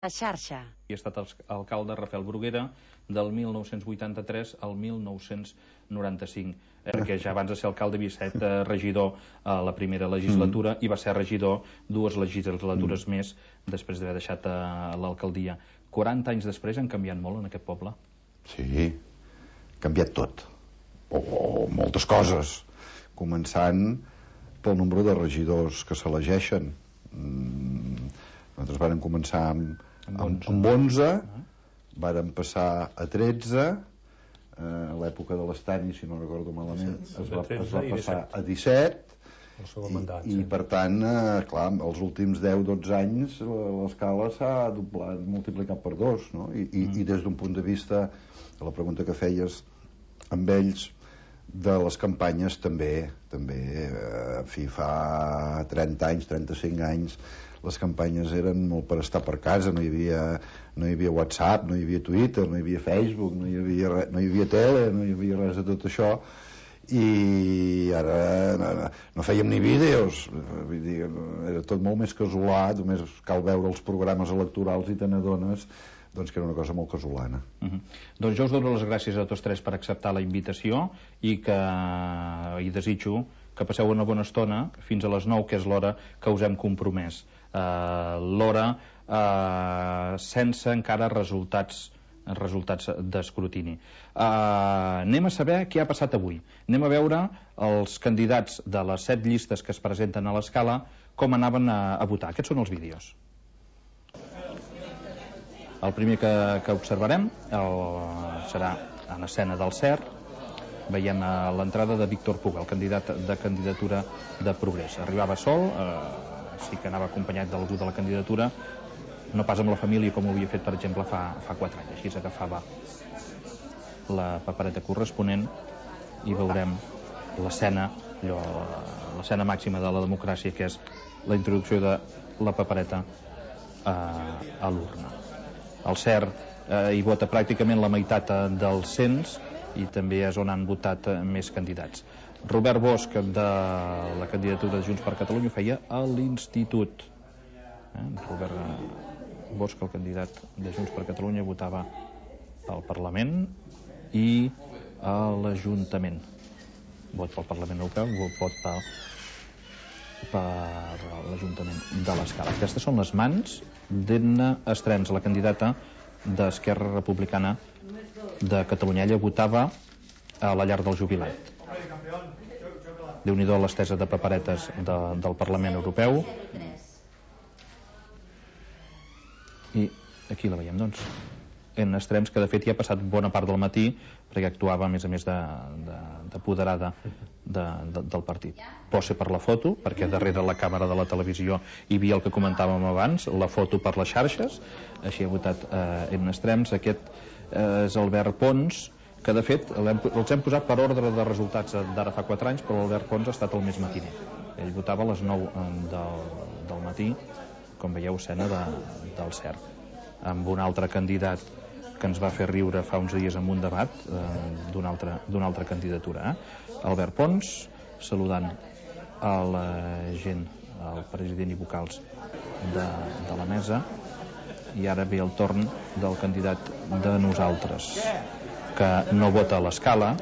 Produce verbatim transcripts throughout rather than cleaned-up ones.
La xarxa. He estat alcalde Rafael Bruguera del mil nou-cents vuitanta-tres al mil nou-cents noranta-cinc, perquè ja abans de ser alcalde havia estat regidor a la primera legislatura i va ser regidor dues legislatures més després d'haver deixat l'alcaldia. quaranta anys després han canviat molt en aquest poble? Sí, ha canviat tot, o moltes coses, començant pel nombre de regidors que s'elegeixen. Nosaltres vàrem començar amb amb onze, vàrem passar a tretze, a l'època de l'Estany, si no recordo malament, es va passar a disset, i per tant, clar, els últims deu dotze anys l'escala s'ha doblat, multiplicat per dos, i des d'un punt de vista, de la pregunta que feies amb ells, de les campanyes també, també, en fi, fa trenta anys, trenta-cinc anys, les campanyes eren molt per estar per casa, no hi havia, no hi havia WhatsApp, no hi havia Twitter, no hi havia Facebook, no hi havia, no hi havia tele, no hi havia res de tot això, i ara no, no fèiem ni vídeos, vull dir, era tot molt més casolà, només cal veure els programes electorals i te n'adones doncs que era una cosa molt casolana. Uh-huh. Doncs jo us dono les gràcies a tots tres per acceptar la invitació i que i desitjo que passeu una bona estona fins a les nou, que és l'hora que us hem compromès. Uh, l'hora uh, sense encara resultats resultats d'escrutini. Uh, anem a saber què ha passat avui. Anem a veure els candidats de les set llistes que es presenten a l'escala com anaven a, a votar. Aquests són els vídeos. El primer que, que observarem el, serà en escena del C E R. Veiem a l'entrada de Víctor Puga, el candidat de candidatura de Progrés. Arribava sol, eh, sí que anava acompanyat d'algú de la candidatura, no pas amb la família com ho havia fet, per exemple, fa, fa quatre anys. Així s'agafava la papereta corresponent i veurem l'escena, l'escena màxima de la democràcia, que és la introducció de la papereta a, a l'urna. El C E R eh, hi vota pràcticament la meitat del cens i també és on han votat eh, més candidats. Robert Bosch, de la candidatura de Junts per Catalunya, feia a l'Institut. Eh? Robert Bosch, el candidat de Junts per Catalunya, votava pel Parlament i a l'Ajuntament. Vot pel Parlament Europeu, vot pel, per l'Ajuntament de l'Escala. Aquestes són les mans d'Edna Estrems, la candidata d'Esquerra Republicana de Catalunya. Ella votava a la llar del jubilat. Déu-n'hi-do l'estesa de paperetes de, del Parlament Europeu. I aquí la veiem, doncs, en Estrems, que de fet ja ha passat bona part del matí perquè actuava a més a més d'apoderada de, de, de, del partit. Posa per la foto, perquè darrere la càmera de la televisió hi havia el que comentàvem abans, la foto per les xarxes. Així ha votat eh, en Estrems. Aquest eh, és Albert Pons, que de fet hem, els hem posat per ordre de resultats d'ara fa quatre anys, però l'Albert Pons ha estat el més matiner. Ell votava a les nou del, del matí, com veieu, escena de, del C E R, amb un altre candidat que ens va fer riure fa uns dies amb un debat eh, d'una altra, d'una altra candidatura. Eh? Albert Pons, saludant a la gent, al president i vocals de, de la mesa, i ara ve el torn del candidat de Nosaltres, que no vota a l'escala,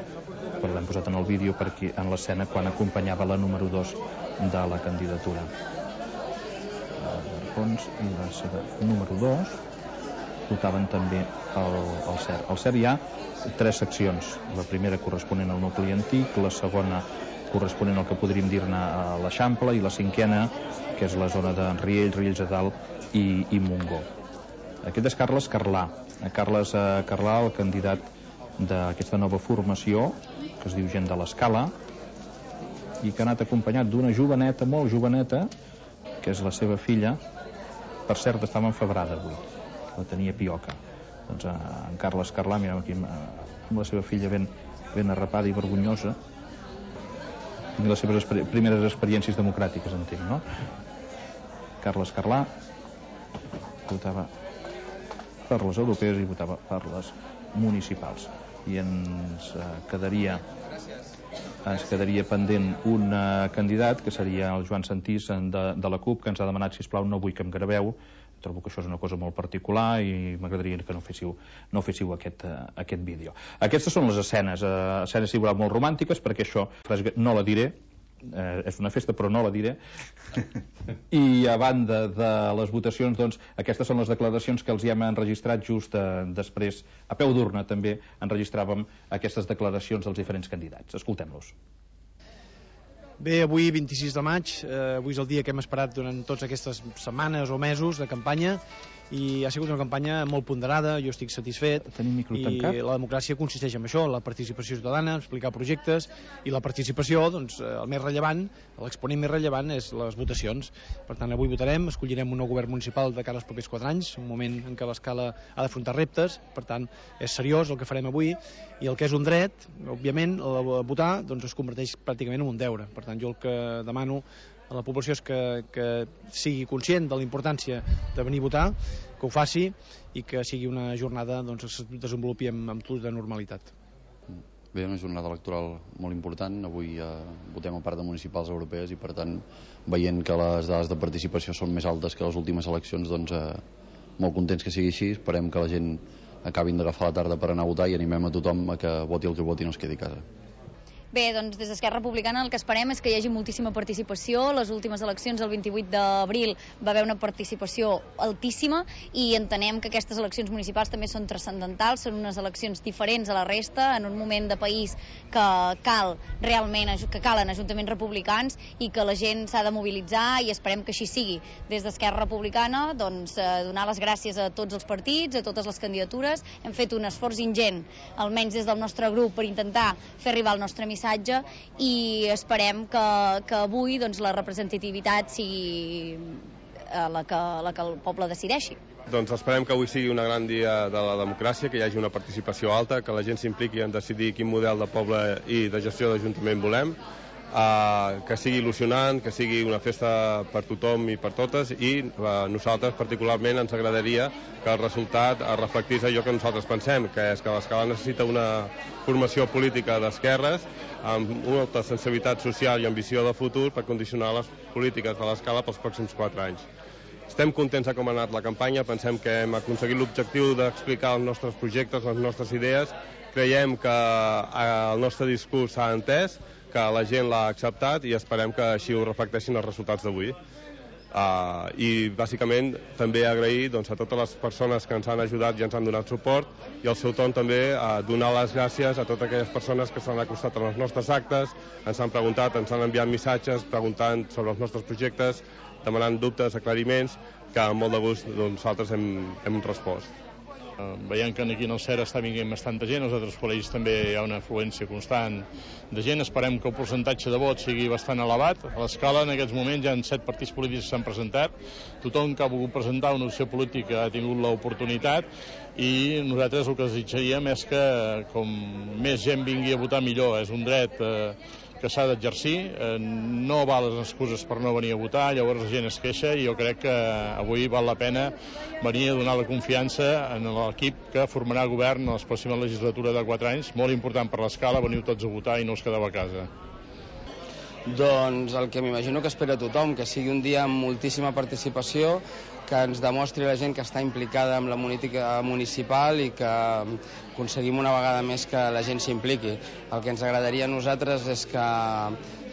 però l'hem posat en el vídeo perquè en l'escena quan acompanyava la número dos de la candidatura. Albert Pons i la seva número dos votaven també el, el C E R. Al C E R hi ha tres seccions. La primera corresponent al nucli antic, la segona corresponent al que podríem dir-ne a l'Eixample, i la cinquena, que és la zona de Riells, Riells de Dalt i, i Montgó. Aquest és Carles Carlà. Carles Carlà, el candidat d'aquesta nova formació, que es diu Gent de l'Escala, i que ha anat acompanyat d'una joveneta, molt joveneta, que és la seva filla. Per cert, estava enfebrada avui, la tenia pioca. Doncs en Carles Carlà, mireu aquí, amb la seva filla ben, ben arrapada i vergonyosa, i les seves exper primeres experiències democràtiques, entenc, no? Carles Carlà votava per les europees i votava per les municipals. I ens quedaria ens quedaria pendent un candidat, que seria el Joan Santís de, de la CUP, que ens ha demanat, sisplau, no vull que em graveu, Trobo que això és una cosa molt particular i m'agradaria que no féssiu, no féssiu aquest, uh, aquest vídeo. Aquestes són les escenes, uh, escenes igual molt romàntiques, perquè això no la diré, uh, és una festa però no la diré. I a banda de les votacions, doncs, aquestes són les declaracions que els hi hem enregistrat just uh, després, a peu d'urna també enregistràvem aquestes declaracions dels diferents candidats. Escoltem-los. Bé, avui vint-i-sis de maig, eh, avui és el dia que hem esperat durant totes aquestes setmanes o mesos de campanya i ha sigut una campanya molt ponderada, jo estic satisfet. Tenim micro tancat? I la democràcia consisteix en això, la participació ciutadana, explicar projectes i la participació, doncs, el més rellevant, l'exponent més rellevant és les votacions. Per tant, avui votarem, escollirem un nou govern municipal de cara als propers quatre anys, un moment en què l'Escala ha d'afrontar reptes, per tant, és seriós el que farem avui i el que és un dret, òbviament, el votar, doncs es converteix pràcticament en un deure. Per tant, jo el que demano a la població és que, que sigui conscient de la importància de venir a votar, que ho faci i que sigui una jornada doncs, que es desenvolupi amb, amb tota normalitat. Bé, una jornada electoral molt important. Avui eh, votem a part de municipals europees i, per tant, veient que les dades de participació són més altes que les últimes eleccions, doncs eh, molt contents que sigui així. Esperem que la gent acabin d'agafar la tarda per anar a votar i animem a tothom a que voti el que voti i no es quedi a casa. Bé, doncs des d'Esquerra Republicana el que esperem és que hi hagi moltíssima participació. Les últimes eleccions, el vint-i-vuit d'abril, va haver una participació altíssima i entenem que aquestes eleccions municipals també són transcendentals, són unes eleccions diferents a la resta, en un moment de país que cal realment, que calen ajuntaments republicans i que la gent s'ha de mobilitzar i esperem que així sigui. Des d'Esquerra Republicana, doncs, eh, donar les gràcies a tots els partits, a totes les candidatures. Hem fet un esforç ingent, almenys des del nostre grup, per intentar fer arribar el nostre missatge i esperem que, que avui doncs, la representativitat sigui la que, la que el poble decideixi. Doncs esperem que avui sigui un gran dia de la democràcia, que hi hagi una participació alta, que la gent s'impliqui en decidir quin model de poble i de gestió d'Ajuntament volem, Uh, que sigui il·lusionant, que sigui una festa per tothom i per totes i uh, nosaltres particularment ens agradaria que el resultat uh, reflectís allò que nosaltres pensem, que és que l'Escala necessita una formació política d'esquerres amb una alta sensibilitat social i ambició de futur per condicionar les polítiques de l'Escala pels pròxims quatre anys. Estem contents de com ha anat la campanya, pensem que hem aconseguit l'objectiu d'explicar els nostres projectes, les nostres idees, creiem que uh, el nostre discurs s'ha entès, que la gent l'ha acceptat i esperem que així ho reflecteixin els resultats d'avui. Uh, I bàsicament també agrair doncs, a totes les persones que ens han ajudat i ens han donat suport i al seu torn també uh, donar les gràcies a totes aquelles persones que s'han acostat als nostres actes, ens han preguntat, ens han enviat missatges preguntant sobre els nostres projectes, demanant dubtes, aclariments, que amb molt de gust doncs, nosaltres hem, hem respost. Veiem que aquí en el C E R està vinguent bastanta gent, als altres col·legis també hi ha una afluència constant de gent. Esperem que el percentatge de vot sigui bastant elevat. A l'Escala en aquests moments hi ha set partits polítics que s'han presentat. Tothom que ha volgut presentar una opció política ha tingut l'oportunitat i nosaltres el que desitjaríem és que com més gent vingui a votar millor. És un dret eh, que s'ha d'exercir, eh, no val les excuses per no venir a votar, llavors la gent es queixa i jo crec que avui val la pena venir a donar la confiança en l'equip que formarà govern en la pròxima legislatura de quatre anys, molt important per l'Escala, veniu tots a votar i no us quedeu a casa. Doncs el que m'imagino que espera tothom, que sigui un dia amb moltíssima participació, que ens demostri la gent que està implicada amb la política municipal i que aconseguim una vegada més que la gent s'impliqui. El que ens agradaria a nosaltres és que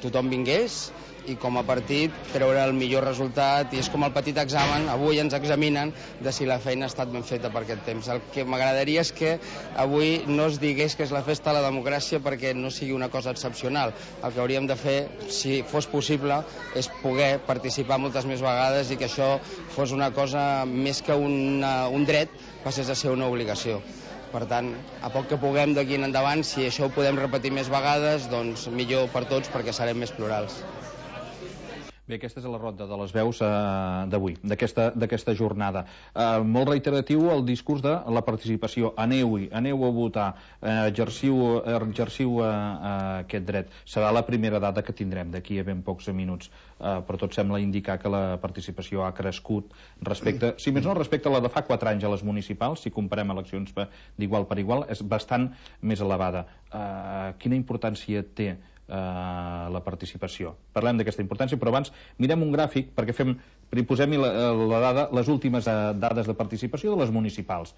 tothom vingués i com a partit treure el millor resultat i és com el petit examen, avui ens examinen de si la feina ha estat ben feta per aquest temps. El que m'agradaria és que avui no es digués que és la festa de la democràcia perquè no sigui una cosa excepcional. El que hauríem de fer, si fos possible, és poder participar moltes més vegades i que això fos una cosa més que una, un dret, passés a ser una obligació. Per tant, a poc que puguem d'aquí en endavant, si això ho podem repetir més vegades, doncs millor per tots perquè serem més plurals. Bé, aquesta és la ronda de les veus eh, d'avui, d'aquesta jornada. Eh, molt reiteratiu el discurs de la participació. Aneu-hi, aneu a votar, eh, exerciu, exerciu eh, aquest dret. Serà la primera data que tindrem d'aquí a ben pocs minuts, eh, però tot sembla indicar que la participació ha crescut respecte, si més no respecte a la de fa quatre anys a les municipals, si comparem eleccions d'igual per igual, és bastant més elevada. Eh, quina importància té eh, la participació. Parlem d'aquesta importància, però abans mirem un gràfic perquè fem, posem-hi la, la dada, les últimes eh, dades de participació de les municipals.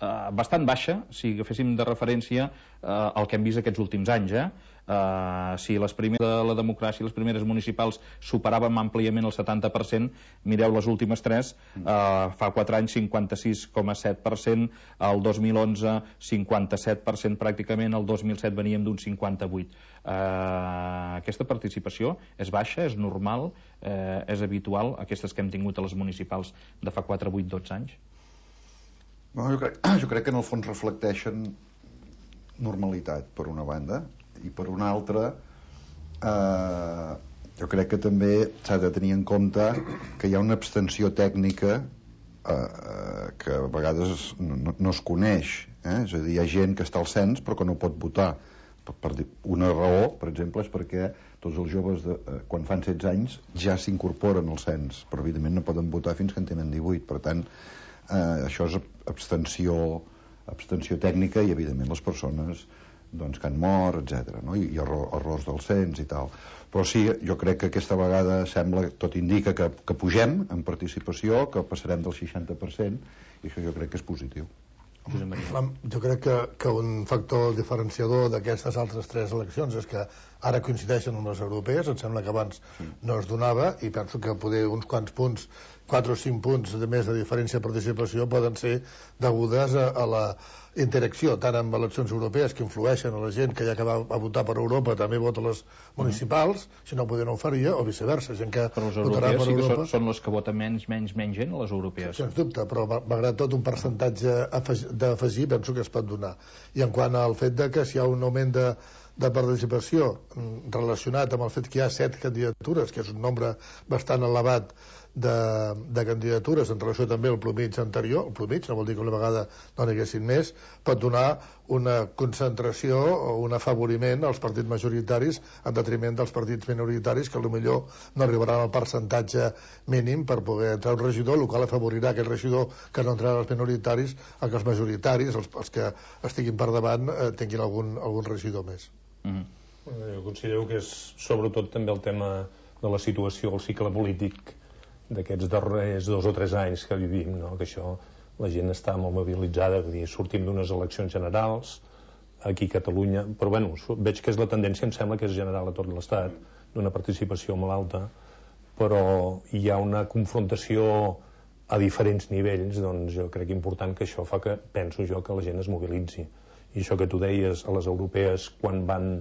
Eh, bastant baixa, si agaféssim de referència eh, el que hem vist aquests últims anys. Eh? Uh, si les primeres de la democràcia, les primeres municipals superàvem àmpliament el setanta per cent, mireu les últimes tres, uh, fa quatre anys cinquanta-sis coma set per cent, el dos mil onze cinquanta-set per cent pràcticament, el dos mil set veníem d'un cinquanta-vuit. Uh, aquesta participació és baixa, és normal, uh, és habitual, aquestes que hem tingut a les municipals de fa quatre, vuit, dotze anys? No, jo, crec, jo crec que en el fons reflecteixen normalitat, per una banda, i per una altra eh, jo crec que també s'ha de tenir en compte que hi ha una abstenció tècnica eh, que a vegades no, no es coneix, eh? És a dir, hi ha gent que està al cens però que no pot votar per, per una raó, per exemple, és perquè tots els joves de, eh, quan fan setze anys ja s'incorporen al cens, però evidentment no poden votar fins que en tenen divuit, per tant eh, això és abstenció abstenció tècnica i evidentment les persones doncs, que han mort, etcètera, no? I, i error, errors del cens i tal. Però sí, jo crec que aquesta vegada sembla, tot indica que, que pugem en participació, que passarem del seixanta per cent, i això jo crec que és positiu. Jo crec que, que un factor diferenciador d'aquestes altres tres eleccions és que ara coincideixen amb les europees, em sembla que abans no es donava, i penso que poder uns quants punts, quatre o cinc punts de més de diferència de participació poden ser degudes a, a la interacció, tant amb eleccions europees que influeixen a la gent que ja que va a votar per Europa també vota a les municipals, mm. si no poder no ho faria, o viceversa, gent que però les votarà per sí que Europa. Són, són les que voten menys, menys, menys gent, les europees. Sens dubte, però malgrat tot un percentatge d'afegir penso que es pot donar. I en quant al fet de que si hi ha un augment de, de participació relacionat amb el fet que hi ha set candidatures, que és un nombre bastant elevat de, de candidatures en relació també al plomig anterior, el plomig no vol dir que una vegada no n'hi haguessin més, pot donar una concentració o un afavoriment als partits majoritaris en detriment dels partits minoritaris que potser no arribaran al percentatge mínim per poder entrar un regidor, el qual afavorirà aquell regidor que no entrarà als minoritaris a que els majoritaris, els, els que estiguin per davant, eh, tinguin algun, algun regidor més. Mm-hmm. Jo considero que és sobretot també el tema de la situació, el cicle polític d'aquests darrers dos o tres anys que vivim, no? Que això, la gent està molt mobilitzada, vull dir, sortim d'unes eleccions generals aquí a Catalunya, però bueno, veig que és la tendència, em sembla que és general a tot l'Estat, d'una participació molt alta, però hi ha una confrontació a diferents nivells, doncs jo crec important que això fa que, penso jo, que la gent es mobilitzi. I això que tu deies, a les europees, quan van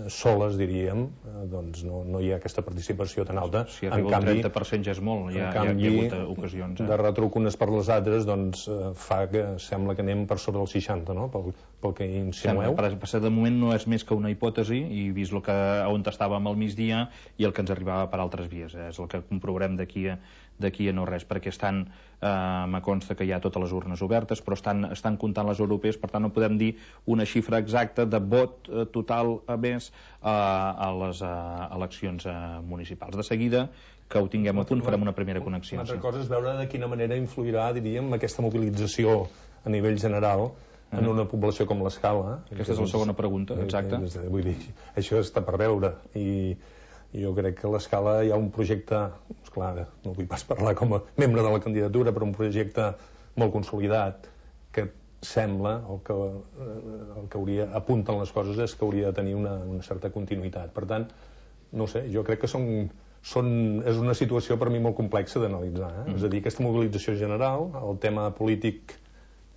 soles, diríem, doncs no, no hi ha aquesta participació tan alta. Si arriba al trenta per cent ja és molt, ja, canvi, ja hi ha hagut ocasions. Eh? De retruc unes per les altres, doncs fa que sembla que anem per sobre del seixanta, no? Pel, pel que insinueu. Per, per de moment no és més que una hipòtesi, i vist el que, on estàvem al migdia i el que ens arribava per altres vies. Eh? És el que comprovarem d'aquí a d'aquí a no res, perquè estan, eh, me consta que hi ha totes les urnes obertes, però estan, estan comptant les europees, per tant no podem dir una xifra exacta de vot eh, total a més eh, a les eh, eleccions eh, municipals. De seguida, que ho tinguem a punt, farem una primera connexió. Una altra cosa és veure de quina manera influirà, diríem, aquesta mobilització a nivell general en una població com l'Escala. Aquesta és la segona pregunta, exacte. Vull dir, això està per veure, i jo crec que a l'Escala hi ha un projecte, esclar, no vull pas parlar com a membre de la candidatura, però un projecte molt consolidat que sembla, el que, el que hauria, apunten les coses és que hauria de tenir una, una certa continuïtat. Per tant, no sé, jo crec que són, són, és una situació per mi molt complexa d'analitzar. Eh? Mm. És a dir, aquesta mobilització general, el tema polític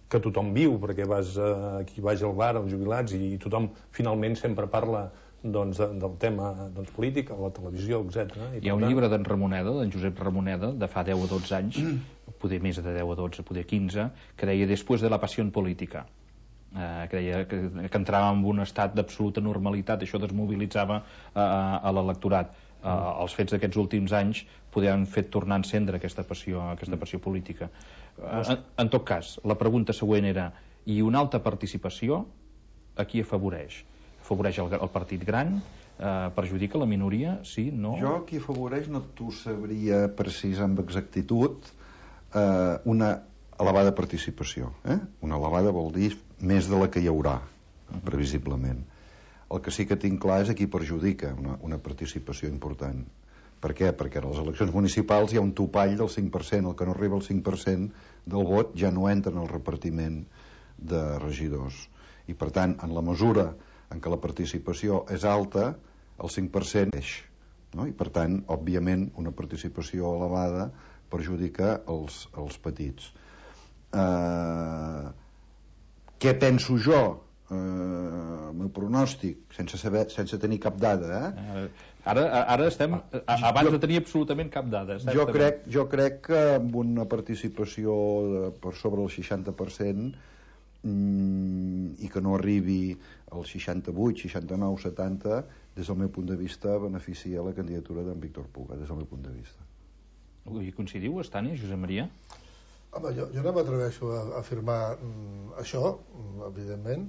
que tothom viu, perquè vas aquí vaig al bar, als jubilats, i tothom finalment sempre parla doncs, de, del tema doncs, polític, a la televisió, etcètera. Hi ha un llibre d'en Ramoneda, d'en Josep Ramoneda, de fa deu o dotze anys, mm. poder més de deu o dotze, poder quinze, que deia Després de la passió política, eh, que deia que, que entrava en un estat d'absoluta normalitat, això desmobilitzava eh, a l'electorat. Eh, mm. Els fets d'aquests últims anys poder han fet tornar a encendre aquesta passió, aquesta passió política. Eh, en, en tot cas, la pregunta següent era, i una alta participació a qui afavoreix? Afavoreix el, el partit gran, eh, perjudica la minoria, sí, no? Jo qui afavoreix no t'ho sabria precisar amb exactitud, eh, una elevada participació. Eh? Una elevada vol dir més de la que hi haurà, previsiblement. El que sí que tinc clar és a qui perjudica una, una participació important. Per què? Perquè a les eleccions municipals hi ha un topall del cinc per cent. El que no arriba al cinc per cent del vot ja no entra en el repartiment de regidors. I per tant, en la mesura en què la participació és alta, el cinc per cent és, no? I per tant, òbviament, una participació elevada perjudica els, els petits. Uh, què penso jo? Uh, el meu pronòstic, sense saber, sense tenir cap dada, eh? Ara, ara estem abans jo, de tenir absolutament cap dada. Jo crec, jo crec que amb una participació de, per sobre el seixanta per cent mm, i que no arribi al seixanta-vuit, seixanta-nou, setanta, des del meu punt de vista beneficia la candidatura d'en Víctor Puga, des del meu punt de vista. Hi coincidiu, Estani, Josep Maria? Home, jo, jo no m'atreveixo a, a afirmar mm, això, evidentment,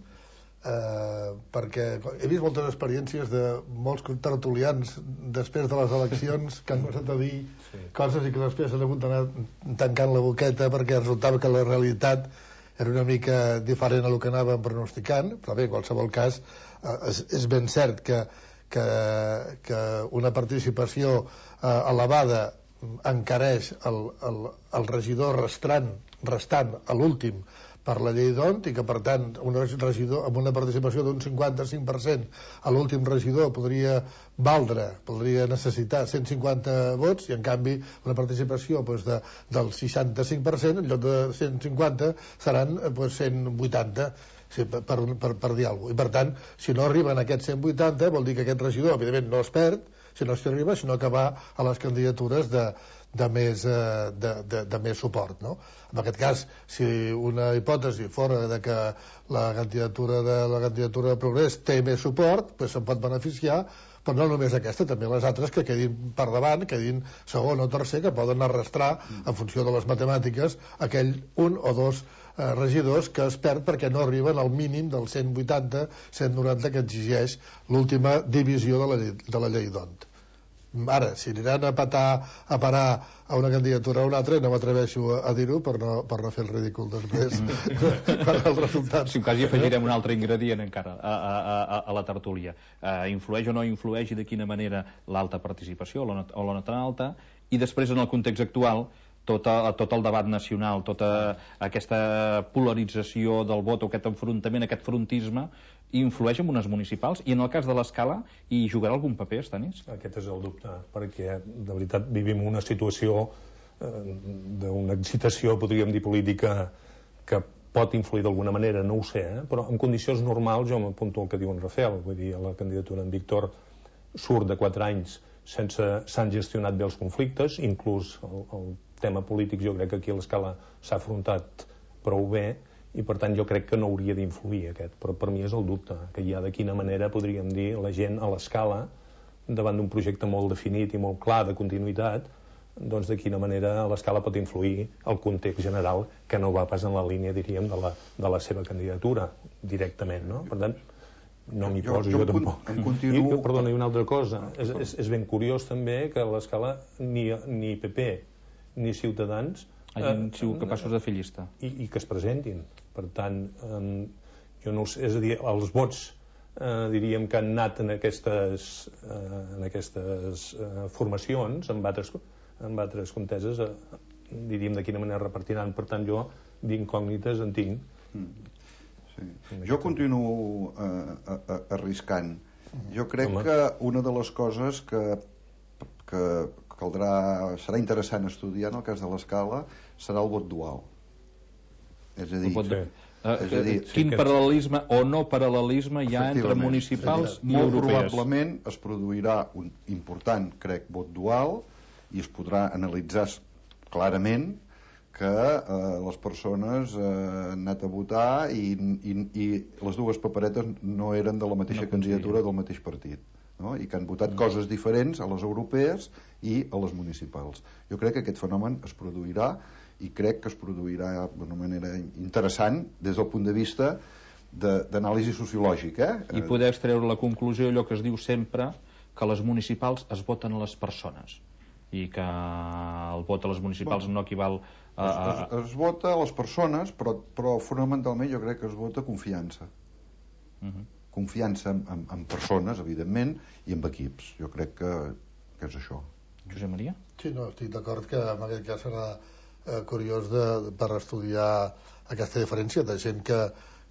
eh, perquè he vist moltes experiències de molts tertulians després de les eleccions que han començat a dir sí. coses i que després s'han hagut d'anar tancant la boqueta perquè resultava que la realitat era una mica diferent a el que anàvem pronosticant, però bé, en qualsevol cas eh, és, és ben cert que, que, que una participació eh, elevada encareix el, el, el regidor restant, restant a l'últim per la llei d'O N T i que per tant un regidor amb una participació d'un cinquanta-cinc per cent a l'últim regidor podria valdre, podria necessitar cent cinquanta vots i en canvi una participació doncs, de, del seixanta-cinc per cent en lloc de cent cinquanta seran doncs, cent vuitanta sí, per, per, per, per dir alguna cosa. I per tant, si no arriben a aquests cent vuitanta vol dir que aquest regidor evidentment no es perd si no s'hi arriba, sinó que va a les candidatures de, de, més, de, de, de més suport, no? En aquest cas, si una hipòtesi fora de que la candidatura de la candidatura de Progrés té més suport, doncs se'n pot beneficiar, però no només aquesta, també les altres que quedin per davant, quedin segon o tercer, que poden arrastrar, en funció de les matemàtiques, aquell un o dos eh, regidors que es perd perquè no arriben al mínim del cent vuitanta cent noranta que exigeix l'última divisió de la, de la llei d'O N T. Ara, si aniran a patar a parar a una candidatura o a una altra, no m'atreveixo a, a dir-ho per, no, per no fer el ridícul després per el resultat. Si en cas hi afegirem un altre ingredient encara a, a, a, a la tertúlia. Uh, influeix o no influeix i de quina manera l'alta participació o la, no, o la no tan alta, i després en el context actual tot, a, tot el debat nacional, tota aquesta polarització del vot o aquest enfrontament, aquest frontisme influeix en unes municipals i en el cas de l'Escala hi jugarà algun paper, Estanis? Aquest és el dubte, perquè de veritat vivim una situació eh, d'una excitació, podríem dir, política que pot influir d'alguna manera, no ho sé, eh? Però en condicions normals jo m'apunto al que diu en Rafael, vull dir, la candidatura en Víctor surt de quatre anys sense s'han gestionat bé els conflictes, inclús el, el tema polític jo crec que aquí a l'Escala s'ha afrontat prou bé, i per tant jo crec que no hauria d'influir aquest, però per mi és el dubte que hi ha de quina manera podríem dir la gent a l'Escala davant d'un projecte molt definit i molt clar de continuïtat, doncs de quina manera l'Escala pot influir el context general que no va pas en la línia, diríem, de la, de la seva candidatura directament, no? Per tant, no m'hi poso jo, jo, jo tampoc. Continuo... I, perdona, i una altra cosa, és, és, és ben curiós també que a l'Escala ni, ni P P ni Ciutadans hagin sigut capaços de fer llista i, i que es presentin. Per tant, eh, jo no sé, és a dir, els vots eh, diríem que han anat en aquestes, eh, en aquestes eh, formacions, en altres, en altres conteses, eh, diríem de quina manera repartiran. Per tant, jo d'incògnites en tinc. Mm. Sí. Jo continuo eh, eh, arriscant. Jo crec Home. que una de les coses que, que caldrà, serà interessant estudiar en el cas de l'Escala serà el vot dual. És a dir, de... és a dir quin sí, paral·lelisme o no paral·lelisme hi ha entre municipals i molt europees. Probablement es produirà un important, crec, vot dual i es podrà analitzar clarament que eh, les persones eh, han anat a votar i, i, i les dues paperetes no eren de la mateixa no candidatura del mateix partit, no? I que han votat no. coses diferents a les europees i a les municipals. Jo crec que aquest fenomen es produirà i crec que es produirà d'una manera interessant des del punt de vista d'anàlisi sociològica. Eh? I poder extreure la conclusió, allò que es diu sempre, que les municipals es voten a les persones i que el vot a les municipals bueno, no equival a... a... Es, es, es vota a les persones, però, però fonamentalment jo crec que es vota confiança. Uh-huh. confiança en, en, en persones, evidentment, i en equips. Jo crec que, que és això. Josep Maria? Sí, no, estic d'acord que en aquest cas serà eh, curiós de, per estudiar aquesta diferència de gent que,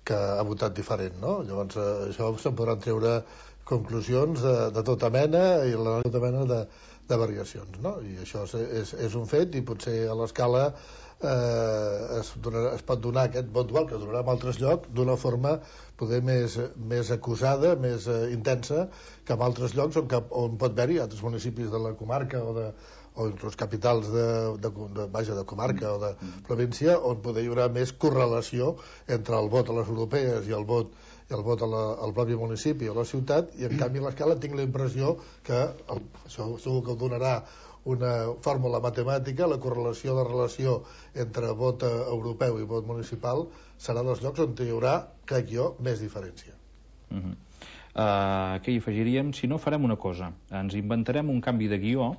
que ha votat diferent, no? Llavors, eh, això se'n podran treure conclusions de, de tota mena i la tota mena de, de variacions, no? I això és, és, és un fet, i potser a l'escala eh, es, donarà, es pot donar aquest vot dual que es donarà en altres llocs d'una forma poder més, més acusada, més eh, intensa que en altres llocs on, cap, on pot haver-hi altres municipis de la comarca o de, o inclús capitals de, de, de, vaja, de comarca o de província on poder hi haurà més correlació entre el vot a les europees i el vot i el vot a la, al propi municipi o a la ciutat, i en canvi a l'escala tinc la impressió que el, això segur que donarà una fórmula matemàtica, la correlació de relació entre vot europeu i vot municipal serà dels llocs on hi haurà, crec jo, més diferència. Uh -huh. uh, què hi afegiríem? Si no, farem una cosa, ens inventarem un canvi de guió,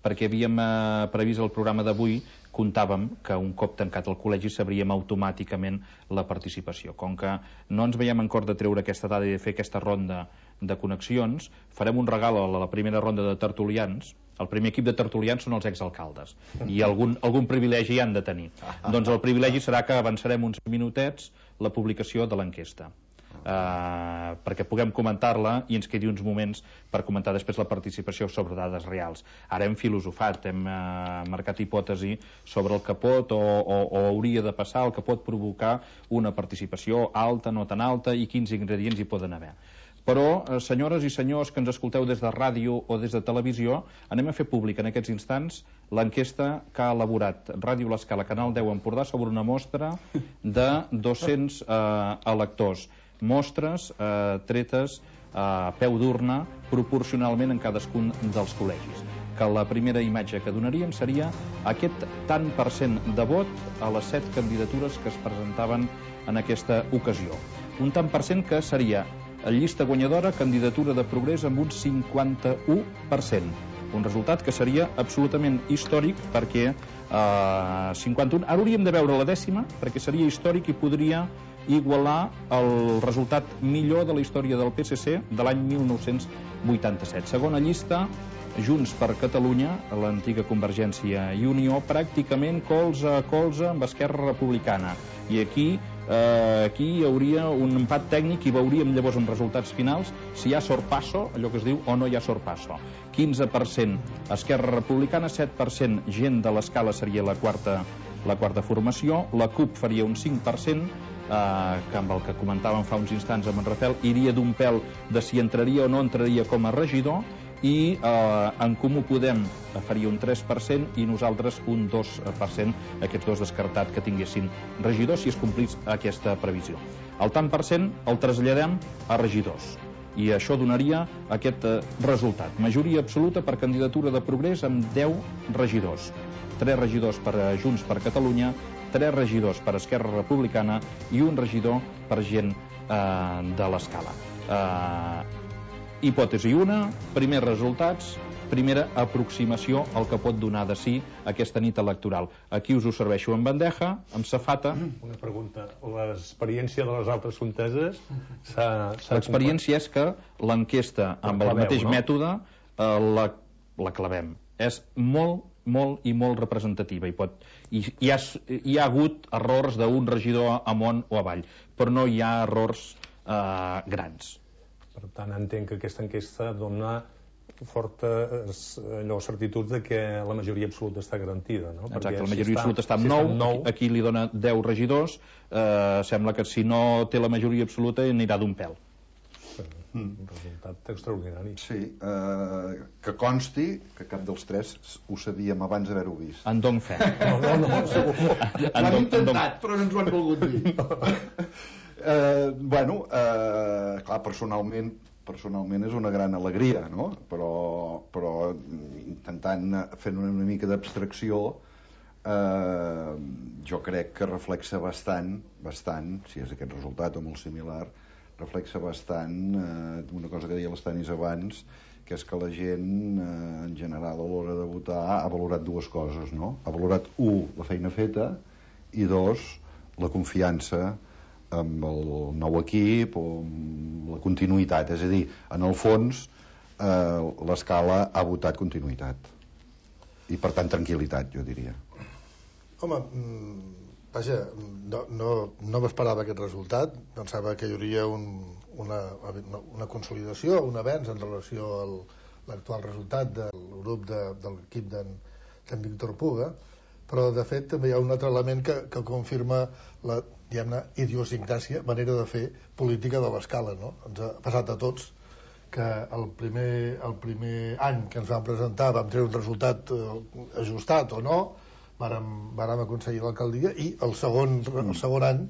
perquè havíem eh, previst el programa d'avui, comptàvem que un cop tancat el col·legi sabríem automàticament la participació. Com que no ens veiem en cor de treure aquesta dada i de fer aquesta ronda de connexions, farem un regal a la primera ronda de tertulians. El primer equip de tertulians són els exalcaldes, i algun, algun privilegi hi han de tenir. Doncs el privilegi serà que avançarem uns minutets la publicació de l'enquesta. Uh, perquè puguem comentar-la i ens quedi uns moments per comentar després la participació sobre dades reals. Ara hem filosofat, hem uh, marcat hipòtesi sobre el que pot o, o, o hauria de passar, el que pot provocar una participació alta, no tan alta, i quins ingredients hi poden haver. Però, uh, senyores i senyors que ens escolteu des de ràdio o des de televisió, anem a fer públic en aquests instants l'enquesta que ha elaborat Ràdio L'Escala, Canal deu Empordà, sobre una mostra de dos-cents uh, electors. Mostres eh, tretes a peu d'urna proporcionalment en cadascun dels col·legis. Que la primera imatge que donaríem seria aquest tant per cent de vot a les set candidatures que es presentaven en aquesta ocasió. Un tant per cent que seria llista guanyadora, candidatura de Progrés amb un cinquanta-u per cent. Un resultat que seria absolutament històric perquè eh, cinquanta-u... Ara hauríem de veure la dècima perquè seria històric i podria igualar el resultat millor de la història del P S C de l'any mil nou-cents vuitanta-set. Segona llista, Junts per Catalunya, l'antiga Convergència i Unió, pràcticament colze a colze amb Esquerra Republicana. I aquí, eh, aquí hi hauria un empat tècnic i veuríem llavors en resultats finals si hi ha sorpasso, allò que es diu, o no hi ha sorpasso. quinze per cent Esquerra Republicana, set per cent gent de l'Escala seria la quarta, la quarta formació, la CUP faria un cinc per cent, Uh, que amb el que comentàvem fa uns instants amb en Rafael, iria d'un pèl de si entraria o no entraria com a regidor, i uh, en Comú Podem faria un tres per cent i nosaltres un dos per cent, aquests dos descartats que tinguessin regidors si es complís aquesta previsió. El tant per cent el traslladem a regidors i això donaria aquest uh, resultat. Majoria absoluta per candidatura de Progrés amb deu regidors. tres regidors per uh, Junts per Catalunya, tres regidors per Esquerra Republicana i un regidor per gent eh, de l'Escala. Eh, hipòtesi una, primers resultats, primera aproximació al que pot donar de si aquesta nit electoral. Aquí us ho serveixo en bandeja, amb safata. Una pregunta. L'experiència de les altres conteses s'ha... L'experiència és que l'enquesta amb el mateix mètode eh, la, la clavem. És molt molt i molt representativa i, pot, i hi, ha, hi ha hagut errors d'un regidor amunt o avall, però no hi ha errors eh, grans. Per tant, entenc que aquesta enquesta dona fortes allò, certituds de que la majoria absoluta està garantida, no? Exacte, Perquè la majoria si absoluta està si amb nou, aquí li dona deu regidors, eh, sembla que si no té la majoria absoluta anirà d'un pèl. Un resultat extraordinari. Sí, eh, que consti que cap dels tres ho sabíem abans d'haver-ho vist. En dono fe. No, no, no, segur. Ho han intentat, però no ens ho han volgut dir. eh, bueno, eh, clar, personalment personalment és una gran alegria, no? Però, però intentant fer una, una mica d'abstracció, eh, jo crec que reflexa bastant, bastant, si és aquest resultat o molt similar, reflexa bastant eh, una cosa que deia l'Estanis abans, que és que la gent eh, en general a l'hora de votar ha valorat dues coses, no? Ha valorat, u, la feina feta, i dos, la confiança amb el nou equip o amb la continuïtat. És a dir, en el fons, eh, l'Escala ha votat continuïtat. I, per tant, tranquil·litat, jo diria. Home, vaja, no, no, no m'esperava aquest resultat. Pensava que hi hauria un, una, una consolidació, un avenç en relació a l'actual resultat del grup de, de l'equip d'en Víctor Puga, però de fet també hi ha un altre element que, que confirma la, diguem-ne, idiosincràsia, manera de fer política de l'Escala, no? Ens ha passat a tots que el primer, el primer any que ens vam presentar vam treure un resultat eh, ajustat o no, vàrem, vàrem aconseguir l'alcaldia, i el segon, el segon any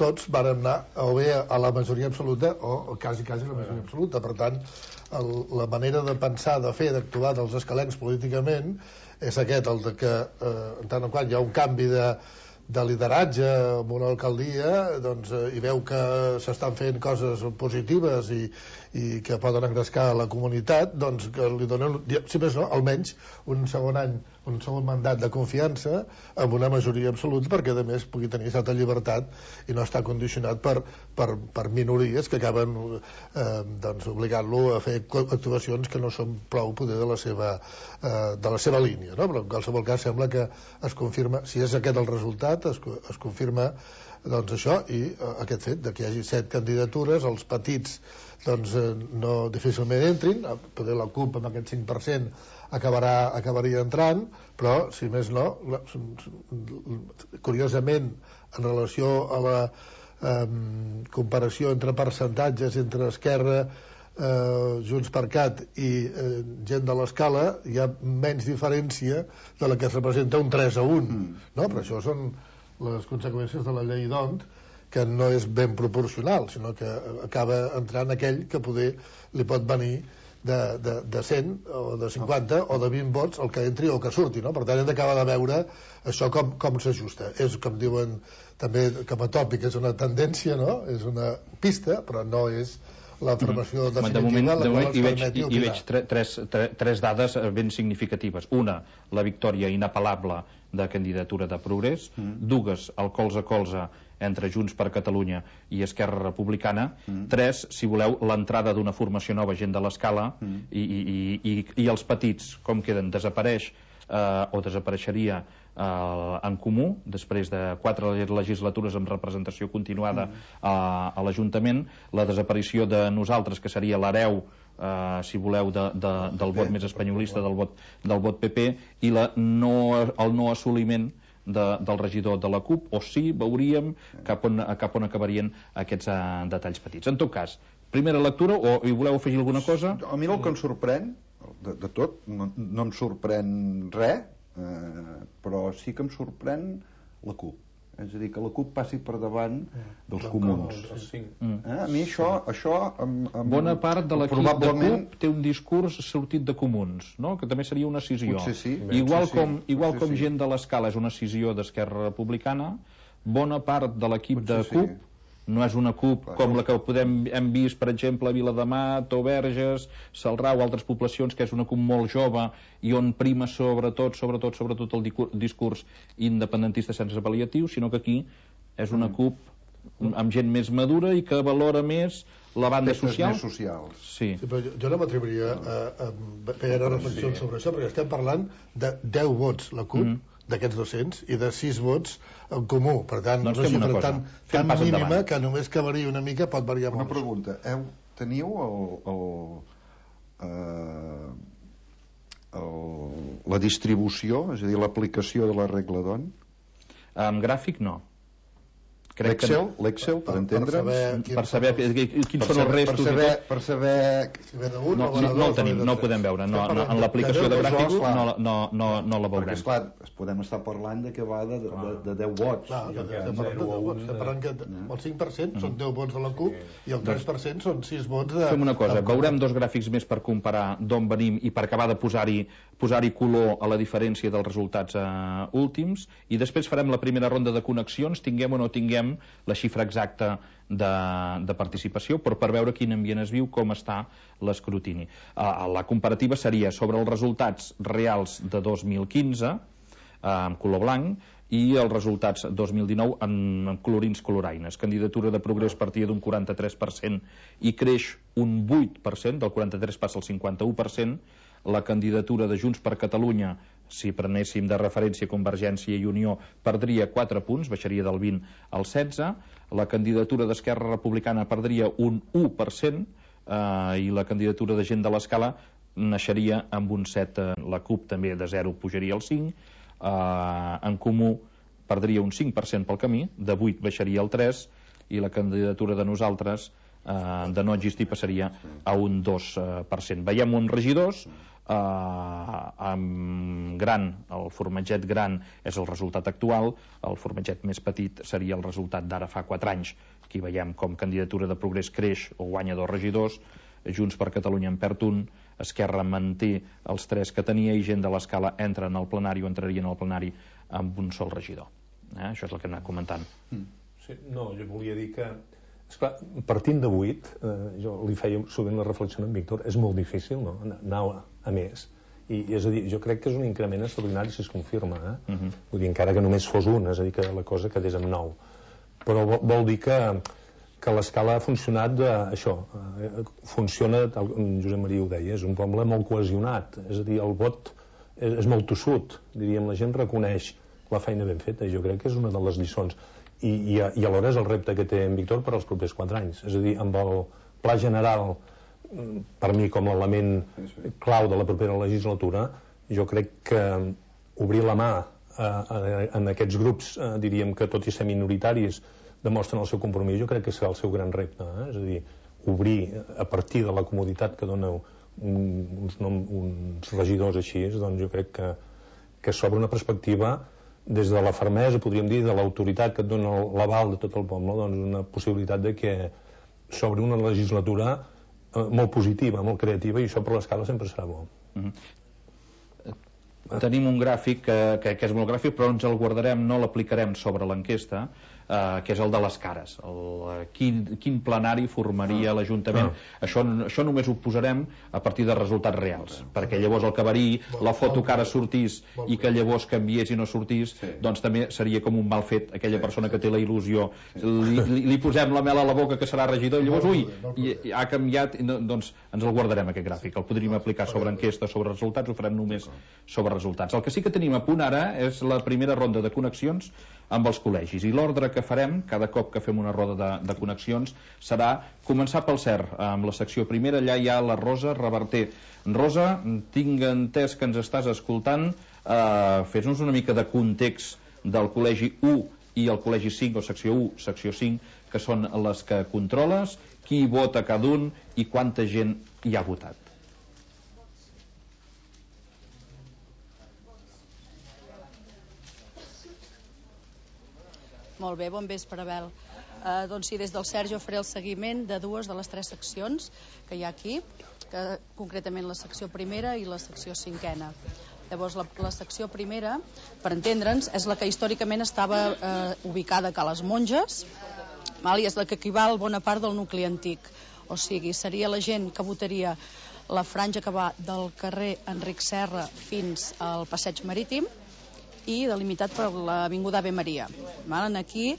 tots vàrem anar o bé a la majoria absoluta o, o quasi, quasi la majoria absoluta. Per tant, el, la manera de pensar, de fer, d'actuar dels escalencs políticament és aquest, el de que eh, en tant en quant hi ha un canvi de, de lideratge en una alcaldia, doncs, eh, i veu que s'estan fent coses positives i, i que poden engrescar la comunitat, doncs que li donen, si més no, almenys un segon any, un segon mandat de confiança amb una majoria absoluta, perquè a més pugui tenir certa llibertat i no està condicionat per, per, per minories que acaben eh, doncs, obligant-lo a fer actuacions que no són prou poder de la seva, eh, de la seva línia, no? Però en qualsevol cas sembla que es confirma, si és aquest el resultat, es, es confirma doncs això, i eh, aquest fet de que hi hagi set candidatures, els petits doncs eh, no difícilment entrin, poder la CUP amb aquest cinc per cent acabarà, acabaria entrant, però si més no, curiosament en relació a la eh, comparació entre percentatges entre Esquerra, eh, Junts per Cat i eh, gent de l'Escala, hi ha menys diferència de la que es representa un tres a un, mm. no? Però això són les conseqüències de la llei d'Hont, que no és ben proporcional, sinó que acaba entrant aquell que poder li pot venir de, de, de cent o de cinquanta o de vint vots el que entri o que surti, no? Per tant hem d'acabar de veure això com, com s'ajusta. És, com diuen també com a tòpic, és una tendència, no? És una pista, però no és la formació mm. definitiva. De moment, la de moment hi veig, hi, hi veig tre, tres, tre, tres dades ben significatives. Una, la victòria inapel·lable de candidatura de Progrés. Mm. Dues, el colze a colze entre Junts per Catalunya i Esquerra Republicana. Mm. Tres, si voleu, l'entrada d'una formació nova, gent de l'Escala, mm. i, i, i, i els petits, com queden? Desapareix eh, o desapareixeria eh, en Comú, després de quatre legislatures amb representació continuada mm. a, a l'Ajuntament, la desaparició de nosaltres, que seria l'hereu, Uh, si voleu, de, de, del vot més espanyolista, del vot, del vot P P, i la no, el no assoliment de, del regidor de la CUP, o sí, veuríem cap on, cap on acabarien aquests uh, detalls petits. En tot cas, primera lectura, o hi voleu afegir alguna cosa? A mi el que em sorprèn, de, de tot, no, no em sorprèn res, eh, però sí que em sorprèn la CUP. És a dir, que la CUP passi per davant dels comuns. Eh? A mi això... això amb, amb... Bona part de l'equip probablement... de CUP té un discurs sortit de comuns, no? Que també seria una escissió. Potser sí. Igual Potser com, sí. igual Potser com sí. gent de l'Escala és una escissió d'Esquerra Republicana, bona part de l'equip de CUP sí. no és una CUP Clar, com la que podem, hem vist, per exemple, a Viladamat o Verges, Celrà o altres poblacions, que és una CUP molt jove i on prima sobretot, sobretot, sobretot el discurs independentista sense pal·liatius, sinó que aquí és una CUP amb gent més madura i que valora més la banda social. Més socials. Sí. Sí, però jo, jo no m'atreviria a, a fer reflexions sí. sobre això, perquè estem parlant de deu vots la CUP, mm. d'aquests dos-cents, i de sis vots en Comú. Per tant, doncs una xifra tan, tan mínima endavant. Que només que varia una mica pot variar molt. Una pregunta. Heu, teniu el, el, eh, el, la distribució, és a dir, l'aplicació de la regla d'Hont? En gràfic, no. L'Excel, l'Excel, per entendre'ns, per saber quins són els restos, per saber, per saber... No, no, no el tenim, no el podem veure, no, no, en l'aplicació de gràfics no, no, no, no la veurem. Perquè, esclar, podem estar parlant de que va de, de, de deu vots. Clar, estem parlant de deu vots, estem parlant que el cinc per cent són deu vots de la CUP i el tres per cent són sis vots de... Fem una cosa, veurem dos gràfics més per comparar d'on venim i per acabar de posar-hi posar-hi color a la diferència dels resultats eh, últims, i després farem la primera ronda de connexions, tinguem o no tinguem la xifra exacta de, de participació, però per veure quin ambient es viu, com està l'escrutini. Uh, la comparativa seria sobre els resultats reals de dos mil quinze, uh, en color blanc, i els resultats dos mil dinou en colorins coloraines. Candidatura de Progrés partia d'un quaranta-tres per cent i creix un vuit per cent, del quaranta-tres passa al cinquanta-u per cent. La candidatura de Junts per Catalunya, si prenéssim de referència Convergència i Unió, perdria quatre punts, baixaria del vint al setze. La candidatura d'Esquerra Republicana perdria un u per cent eh, i la candidatura de Gent de l'Escala naixeria amb un set. La CUP també de zero pujaria al cinc. Uh, en Comú perdria un cinc per cent pel camí, de vuit baixaria al tres, i la candidatura de Nosaltres uh, de no existir passaria a un dos per cent. Veiem uns regidors, uh, amb gran, el formatget gran és el resultat actual, el formatget més petit seria el resultat d'ara fa quatre anys. Aquí veiem com Candidatura de Progrés creix o guanya dos regidors, Junts per Catalunya en perd un, Esquerra manté els tres que tenia i Gent de l'Escala entra en el plenari o entraria en el plenari amb un sol regidor. Eh? Això és el que hem anat comentant. Mm. Sí, no, jo volia dir que, esclar, partint de vuit, eh, jo li feia sovint la reflexió amb Víctor, és molt difícil, no?, anar a, a més. I, és a dir, jo crec que és un increment extraordinari si es confirma, eh? Uh -huh. Vull dir, encara que només fos un, és a dir, que la cosa quedés amb nou. Però vol, vol dir que que l'Escala ha funcionat de, això, eh, funciona, tal com Josep Maria ho deia, és un poble molt cohesionat, és a dir, el vot és, és molt tossut, diríem, la gent reconeix la feina ben feta, i jo crec que és una de les lliçons, i, i, i alhora és el repte que té en Víctor per als propers quatre anys, és a dir, amb el pla general, per mi com l'element clau de la propera legislatura, jo crec que obrir la mà a, a, en aquests grups, eh, diríem que tot i ser minoritaris, demostren el seu compromís, jo crec que serà el seu gran repte, eh? És a dir, obrir a partir de la comoditat que dona un, uns, nom, uns regidors així, doncs jo crec que, que s'obre una perspectiva des de la fermesa, podríem dir, de l'autoritat que et dona l'aval de tot el poble, doncs una possibilitat de que s'obri una legislatura eh, molt positiva, molt creativa, i això per l'Escala sempre serà bo. Mm-hmm. Tenim un gràfic que, que, que és molt gràfic, però ens el guardarem, no l'aplicarem sobre l'enquesta, Uh, que és el de les cares, el, uh, quin, quin plenari formaria ah. l'Ajuntament. Ah. Això, això només ho posarem a partir de resultats reals, ah. perquè llavors el que varia, la foto que ara sortís i que llavors canviés i no sortís, sí. doncs també seria com un mal fet aquella sí, persona sí, que té la il·lusió. Sí. Li, li, li posem la mel a la boca que serà regidor i llavors, ui, i, i ha canviat, i no, doncs ens el guardarem aquest gràfic. El podríem aplicar sobre enquesta, sobre resultats, ho farem només sobre resultats. El que sí que tenim a punt ara és la primera ronda de connexions amb els col·legis, i l'ordre que farem cada cop que fem una roda de, de connexions serà començar pel C E R, amb la secció primera. Allà hi ha la Rosa Reverter. Rosa, tinc entès que ens estàs escoltant, eh, fes-nos una mica de context del col·legi u i el col·legi cinc, o secció u, secció cinc, que són les que controles, qui vota cada un i quanta gent hi ha votat. Molt bé, bon vespre, Abel. Eh, doncs sí, des del Sergi faré el seguiment de dues de les tres seccions que hi ha aquí, que concretament la secció primera i la secció cinquena. Llavors, la, la secció primera, per entendre'ns, és la que històricament estava eh, ubicada a les Monges, val? I és la que equival bona part del nucli antic. O sigui, seria la gent que votaria la franja que va del carrer Enric Serra fins al Passeig Marítim, i delimitat per l'Avinguda Ave Maria. Aquí,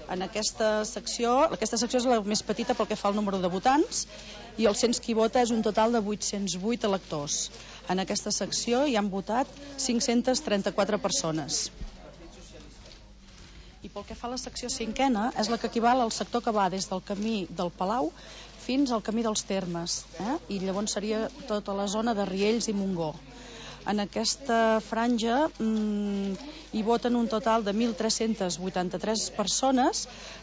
en aquesta secció, aquesta secció és la més petita pel que fa al número de votants, i el cens qui vota és un total de vuit-cents vuit electors. En aquesta secció hi han votat cinc-centes trenta-quatre persones. I pel que fa a la secció cinquena, és la que equival al sector que va des del camí del Palau fins al camí dels Termes, eh? I llavors seria tota la zona de Riells i Montgó. En aquesta franja mmm, hi voten un total de mil tres-centes vuitanta-tres persones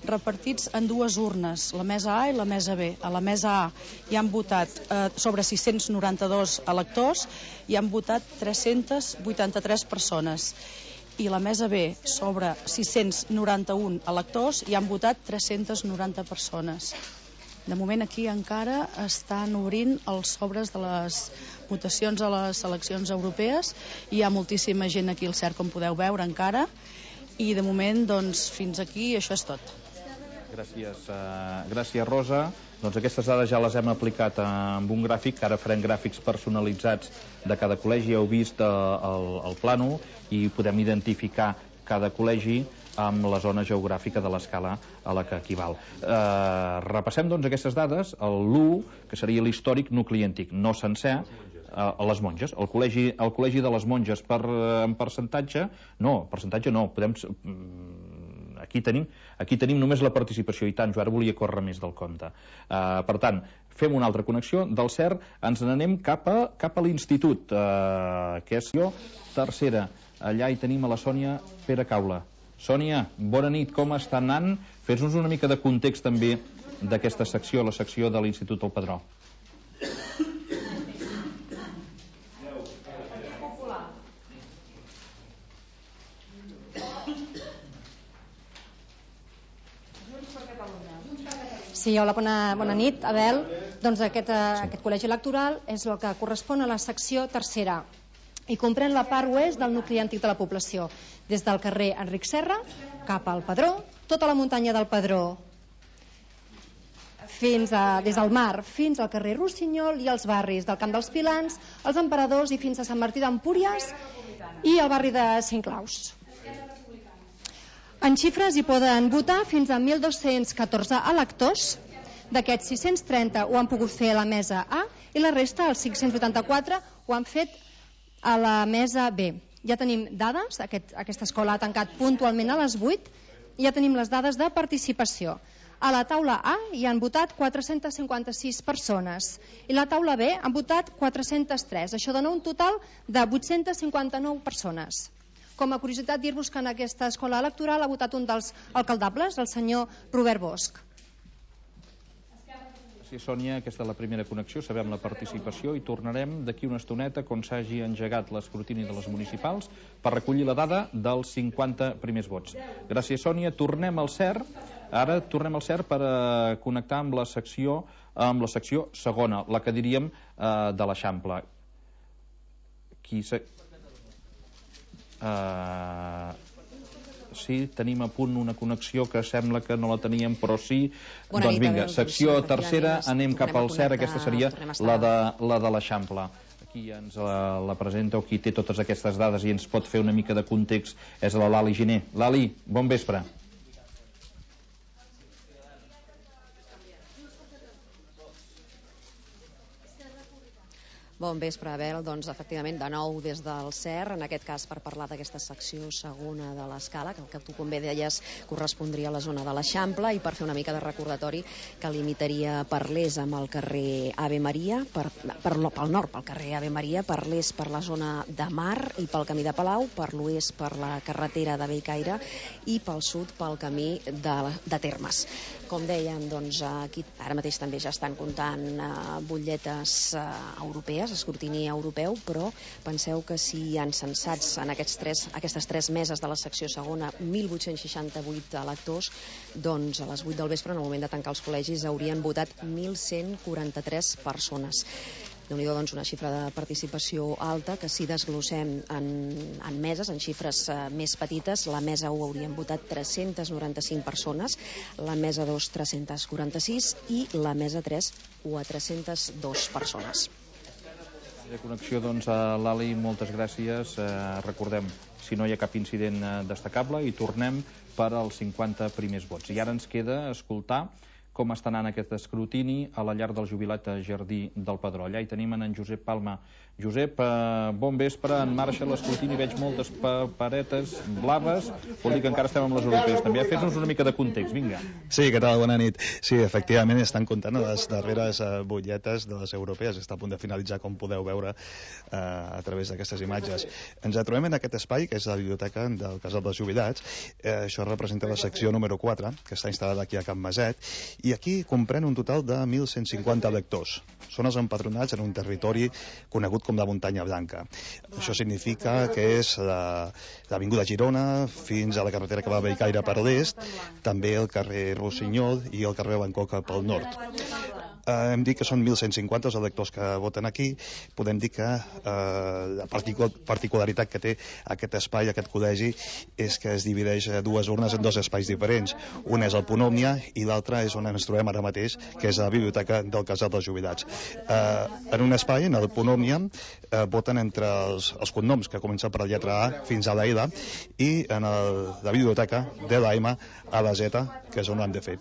repartits en dues urnes, la mesa A i la mesa B. A la mesa A hi han votat eh, sobre sis-cents noranta-dos electors i han votat tres-centes vuitanta-tres persones. I la mesa B, sobre sis-cents noranta-un electors, hi han votat tres-centes noranta persones. De moment aquí encara estan obrint els sobres de les votacions a les eleccions europees. Hi ha moltíssima gent aquí al C E R, com podeu veure encara, i de moment, doncs, fins aquí això és tot. Gràcies, uh, gràcies Rosa. Doncs aquestes dades ja les hem aplicat amb un gràfic, ara farem gràfics personalitzats de cada col·legi. Heu vist uh, el, el plànol i podem identificar cada col·legi amb la zona geogràfica de l'escala a la que equival. Eh, repassem doncs aquestes dades. L'u, que seria l'històric nucli antic, no sencer, a les monges. El col·legi, el col·legi de les monges per, en percentatge, no, percentatge no, podem... Aquí tenim, aquí tenim només la participació, i tant, jo ara volia córrer més del compte. Uh, per tant, fem una altra connexió, del C E R ens n'anem cap a, cap a l'institut, uh, que és jo, tercera. Allà hi tenim a la Sònia Pere Caula. Sònia, bona nit, com està anant? Fes-nos una mica de context també d'aquesta secció, la secció de l'Institut del Padró. Sí, hola, bona, bona nit, Abel. Doncs aquest, aquest col·legi electoral és el que correspon a la secció tercera i comprèn la part oest del nucli antic de la població, des del carrer Enric Serra cap al Padró, tota la muntanya del Padró, fins a, des del mar fins al carrer Rossinyol i els barris del Camp dels Pilans, els Emperadors i fins a Sant Martí d'Empúries i el barri de Cinc Claus. En xifres hi poden votar fins a mil dos-cents catorze electors. D'aquests sis-cents trenta ho han pogut fer a la mesa A i la resta, els cinc-cents vuitanta-quatre, ho han fet a la mesa B. Ja tenim dades, aquest, aquesta escola ha tancat puntualment a les vuit, i ja tenim les dades de participació. A la taula A hi han votat quatre-cents cinquanta-sis persones i la taula B han votat quatre-cents tres. Això dona un total de vuit-cents cinquanta-nou persones. Com a curiositat, dir-vos que en aquesta escola electoral ha votat un dels alcaldables, el senyor Robert Bosch. Sí, Sònia, aquesta és la primera connexió, sabem la participació i tornarem d'aquí una estoneta quan s'hagi engegat l'escrutini de les municipals per recollir la dada dels cinquanta primers vots. Gràcies, Sònia. Tornem al C E R. Ara tornem al C E R per eh, connectar amb la secció amb la secció segona, la que diríem eh, de l'Eixample. Qui se... Uh, sí, tenim a punt una connexió que sembla que no la teníem, però sí. Bona doncs vinga, secció tercera, anem cap al C E R, aquesta seria la de, la de l'Eixample. Aquí ens la, la presenta, o qui té totes aquestes dades i ens pot fer una mica de context, és la Lali Giner. Lali, bon vespre. Bon vespre, Abel. Doncs, efectivament, de nou des del C E R, en aquest cas per parlar d'aquesta secció segona de l'escala, que el que tu com bé deies correspondria a la zona de l'Eixample, i per fer una mica de recordatori que limitaria per l'est amb el carrer Ave Maria, per, per, pel nord pel carrer Ave Maria, per l'est per la zona de Mar i pel camí de Palau, per l'oest per la carretera de Bellcaire i pel sud pel camí de, de Termes. Com dèiem, doncs, aquí ara mateix també ja estan comptant uh, butlletes uh, europees, escrutini europeu, però penseu que si hi han censats en aquests tres, aquestes tres meses de la secció segona mil vuit-cents seixanta-vuit electors, doncs a les vuit del vespre, en el moment de tancar els col·legis, haurien votat mil cent quaranta-tres persones. Déu-n'hi-do, doncs, una xifra de participació alta, que si desglossem en, en meses, en xifres eh, més petites, la mesa u haurien votat tres-cents noranta-cinc persones, la mesa dos tres-cents quaranta-sis i la mesa tres quatre-cents dos persones. De connexió, doncs, a l'Ali, moltes gràcies. Eh, recordem, si no hi ha cap incident eh, destacable, i tornem per als cinquanta primers vots. I ara ens queda escoltar com està anant aquest escrutini a la llar del jubilat a Jardí del Padró. Allà hi tenim en Josep Palma. Josep, eh, bon vespre, en marxa l'escrutini, veig moltes paperetes blaves, vol dir que encara estem amb les europees també. Fes-nos una mica de context, vinga. Sí, què tal? Bona nit. Sí, efectivament, estan comptant les darreres eh, butlletes de les europees, està a punt de finalitzar, com podeu veure eh, a través d'aquestes imatges. Ens trobem en aquest espai, que és la biblioteca del Casal dels Jubilats. Eh, això representa la secció número quatre, que està instal·lada aquí a Can Maset, i aquí comprèn un total de mil cent cinquanta electors. Són els empadronats en un territori conegut com la Muntanya Blanca. Això significa que és l'Avinguda Girona fins a la carretera que va a Bellcaire per l'est, també el carrer Rossinyol i el carrer Bangkok pel nord. Eh, hem dit que són mil cent cinquanta els electors que voten aquí. Podem dir que eh, la particularitat que té aquest espai, aquest col·legi, és que es divideix dues urnes en dos espais diferents. Un és el punt Òmnia i l'altre és on ens trobem ara mateix, que és la biblioteca del Casal dels Jubilats. Eh, en un espai, en el punt Òmnia, eh, voten entre els, els cognoms que comencen per la lletra A fins a la L, i en el, la biblioteca de la M a la Z, que és on ho han de fer.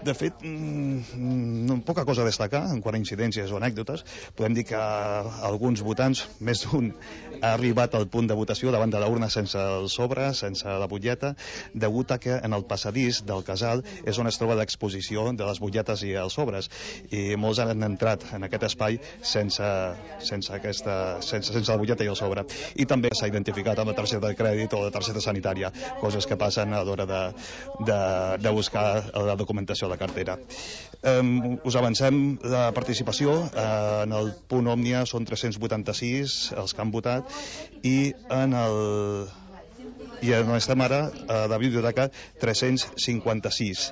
De fet, mmm, poca cosa a destacar en quant a incidències o anècdotes. Podem dir que alguns votants, més d'un, ha arribat al punt de votació davant de l'urna sense el sobre, sense la butlleta, degut a que en el passadís del casal és on es troba l'exposició de les butlletes i els sobres, i molts han entrat en aquest espai sense, sense, aquesta, sense, sense la butlleta i el sobre. I també s'ha identificat amb la targeta de crèdit o la targeta sanitària, coses que passen a l'hora de, de, de buscar la documentació de la cartera. Um, us avancem la participació. Uh, en el punt Òmnia són tres-cents vuitanta-sis els que han votat, i en el i on estem ara, a la biblioteca, tres-cents cinquanta-sis.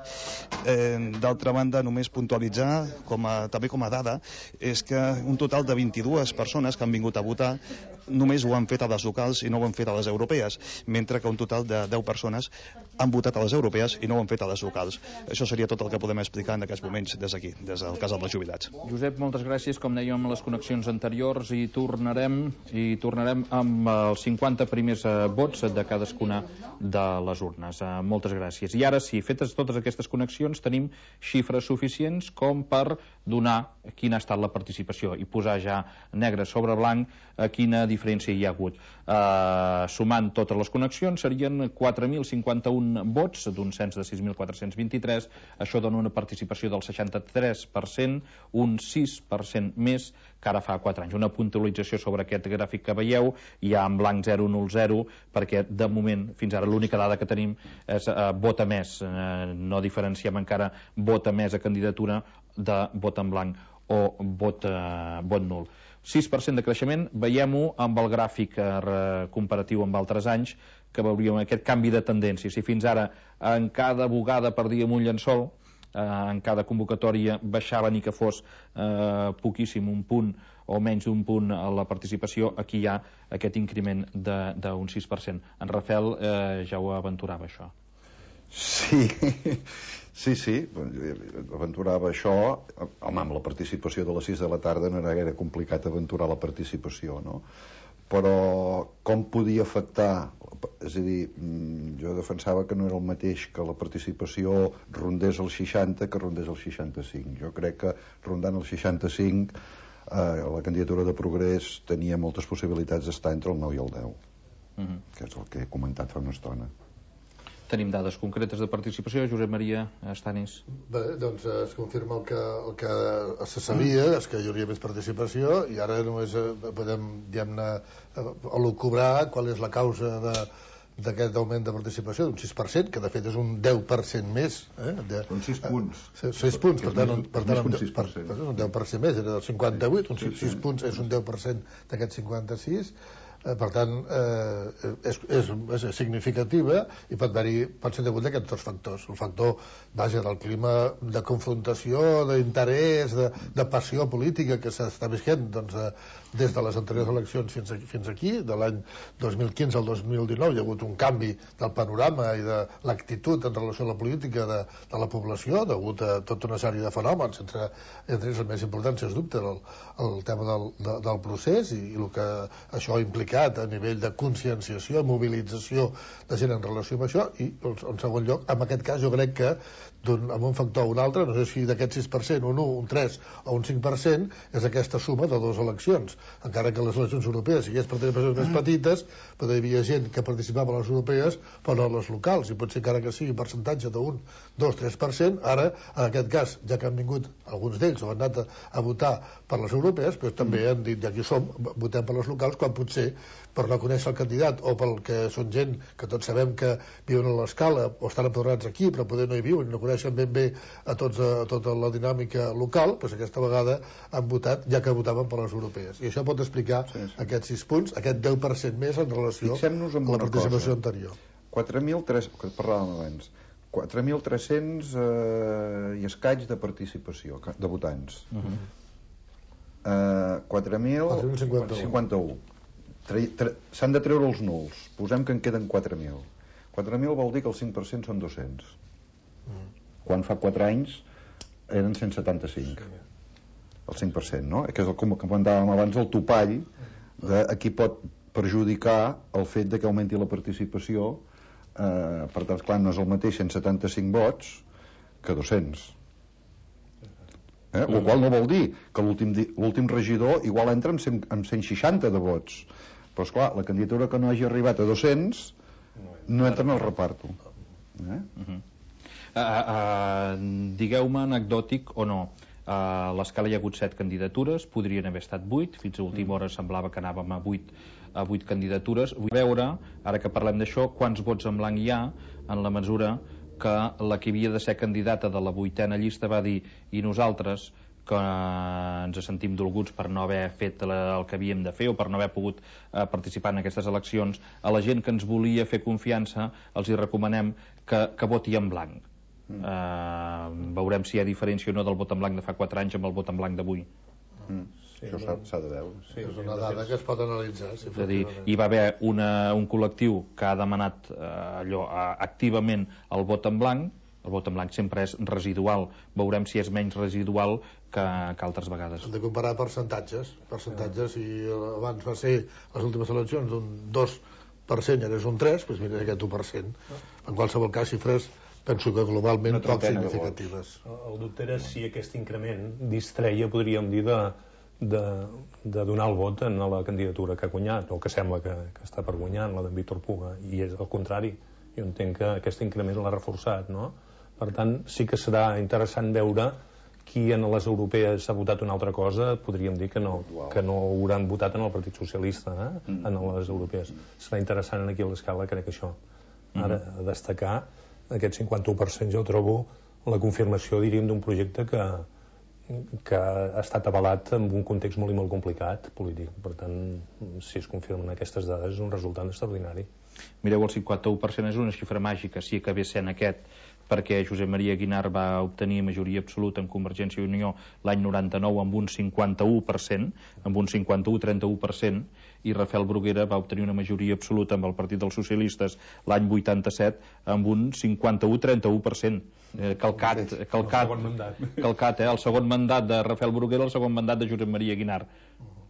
Eh, D'altra banda, només puntualitzar, com a, també com a dada, és que un total de vint-i-dues persones que han vingut a votar només ho han fet a les locals i no ho han fet a les europees, mentre que un total de deu persones han votat a les europees i no ho han fet a les locals. Això seria tot el que podem explicar en aquests moments des d'aquí, des del Casal dels Jubilats. Josep, moltes gràcies. Com dèiem en les connexions anteriors, i tornarem, i tornarem amb els cinquanta primers eh, vots de cadascuna de les urnes. Eh, moltes gràcies. I ara sí, fetes totes aquestes connexions, tenim xifres suficients com per donar quina ha estat la participació i posar ja negre sobre blanc a quina diferència hi ha hagut. Eh, sumant totes les connexions serien quatre mil cinquanta-un vots d'un cens de sis mil quatre-cents vint-i-tres. Això dona una participació del seixanta-tres per cent, un sis per cent més que ara fa quatre anys. Una puntualització sobre aquest gràfic que veieu, hi ha en blanc zero nul zero, perquè de moment, fins ara, l'única dada que tenim és eh, vota més. Eh, no diferenciem encara vota més a candidatura de vot en blanc o vot, eh, vot nul. sis per cent de creixement, veiem-ho amb el gràfic eh, comparatiu amb altres anys, que veuríem aquest canvi de tendència. Si fins ara en cada bugada perdíem un llençol, eh, en cada convocatòria baixava ni que fos eh, poquíssim, un punt o menys d'un punt a la participació, aquí hi ha aquest increment d'un sis per cent. En Rafael eh, ja ho aventurava, això. Sí, sí, sí, aventurava això. Home, amb la participació de les sis de la tarda no era gaire complicat aventurar la participació, no? Però com podia afectar? És a dir, jo defensava que no era el mateix que la participació rondés el seixanta que rondés el seixanta-cinc. Jo crec que rondant el seixanta-cinc eh, la candidatura de Progrés tenia moltes possibilitats d'estar entre el nou i el deu, uh-huh. que és el que he comentat fa una estona. Tenim dades concretes de participació. Josep Maria Estanis. Bé, doncs es confirma el que, el que se sabia, és que hi hauria més participació, i ara només podem, diguem-ne, elucubrar qual és la causa de, d'aquest augment de participació d'un sis per cent, que de fet és un deu per cent més. Eh? De, Són sis punts. sis punts, per tant, un, per tant un, per, per, un deu per cent més, era del cinquanta-vuit, un sis punts és un deu per cent d'aquest cinquanta-sis. Eh, per tant, eh, és, és, és significativa, i pot haver-hi, pot ser degut a aquests dos factors. El factor, vaja, del clima de confrontació, d'interès, de, de passió política que s'està visquent, doncs, eh, des de les anteriors eleccions fins aquí, fins aquí, de l'any dos mil quinze al dos mil dinou, hi ha hagut un canvi del panorama i de l'actitud en relació a la política de, de la població, degut a tota una sèrie de fenòmens, entre, entre ells el més important, sens dubte, el, el tema del, de, del procés i, i el que això implica a nivell de conscienciació, mobilització de gent en relació amb això, i en segon lloc, en aquest cas jo crec que un, amb un factor o un altre, no sé si d'aquest sis per cent, un un, un tres o un cinc per cent, és aquesta suma de dues eleccions. Encara que les eleccions europees sigués participacions més petites, però hi havia gent que participava a les europees però no a les locals, i potser encara que sigui un percentatge d'un, dos, tres per cent, ara, en aquest cas, ja que han vingut alguns d'ells o han anat a, a votar per les europees, però també han dit, ja aquí som, votem per les locals, quan potser per no conèixer el candidat o pel que són gent que tots sabem que viuen a l'escala o estan empadronats aquí però poder no hi viuen i no coneixen ben bé a, tots, a tota la dinàmica local, doncs aquesta vegada han votat ja que votaven per les europees, i això pot explicar sí, sí. aquests sis punts, aquest deu per cent més en relació amb la participació cosa. anterior. quatre mil tres, que parlàvem abans, quatre mil tres-cents eh, i escaig de participació, de votants. Uh -huh. eh, quatre mil cinquanta-u. S'han de treure els nuls. Posem que en queden quatre mil. quatre mil vol dir que el cinc per cent són dos-cents. Uh -huh. Quan fa quatre anys eren cent setanta-cinc. El cinc per cent, no? Que és el que comentàvem abans, el topall de a qui pot perjudicar el fet de que augmenti la participació. Eh, per tant, clar, no és el mateix cent setanta-cinc vots que dos-cents. Eh? El qual no vol dir que l'últim regidor igual entra amb cent, amb cent seixanta de vots. Però, esclar, la candidatura que no hagi arribat a dos-cents no entra en el reparto. Eh? Uh -huh. uh, uh, Digueu-me anecdòtic o no. A l'escala hi ha hagut set candidatures, podrien haver estat vuit, fins a última hora semblava que anàvem a vuit, a vuit candidatures. Vull veure, ara que parlem d'això, quants vots en blanc hi ha, en la mesura que la que havia de ser candidata de la vuitena llista va dir, i nosaltres, que ens sentim dolguts per no haver fet el que havíem de fer o per no haver pogut eh, participar en aquestes eleccions, a la gent que ens volia fer confiança els hi recomanem que, que voti en blanc. Mm. Uh, veurem si hi ha diferència o no del vot en blanc de fa quatre anys amb el vot en blanc d'avui. Mm. Sí, això s'ha de veure. Sí, és una dada que es pot analitzar. Sí, és a dir, hi va haver una, un col·lectiu que ha demanat uh, allò, uh, activament el vot en blanc. El vot en blanc sempre és residual. Veurem si és menys residual que, que altres vegades. Hem de comparar percentatges. Percentatges, si abans va ser les últimes eleccions un dos per cent i ara és un tres, doncs mira aquest un per cent. En qualsevol cas, xifres penso que globalment poc significatives. El dubte era si aquest increment distreia, podríem dir, de, de, de donar el vot en la candidatura que ha guanyat, o que sembla que, que està per guanyar, la d'en Víctor Puga, i és el contrari. Jo entenc que aquest increment l'ha reforçat, no? Per tant, sí que serà interessant veure qui en les europees ha votat una altra cosa. Podríem dir que no, que no hauran votat en el Partit Socialista, eh? En les europees. Serà interessant aquí a l'escala, crec que això. Ara, a destacar aquest cinquanta-u per cent jo trobo la confirmació, diríem, d'un projecte que, que ha estat avalat en un context molt i molt complicat polític. Per tant, si es confirmen aquestes dades és un resultat extraordinari. Mireu, el cinquanta-u per cent és una xifra màgica, si acabés sent aquest, perquè Josep Maria Aguinar va obtenir majoria absoluta en Convergència i Unió l'any noranta-nou amb un cinquanta-u per cent, amb un cinquanta-u trenta-u per cent, i Rafael Bruguera va obtenir una majoria absoluta amb el Partit dels Socialistes l'any vuitanta-set amb un cinquanta-u trenta-u per cent. Eh, calcat, calcat, calcat, eh? El segon mandat de Rafael Bruguera, el segon mandat de Josep Maria Aguinar.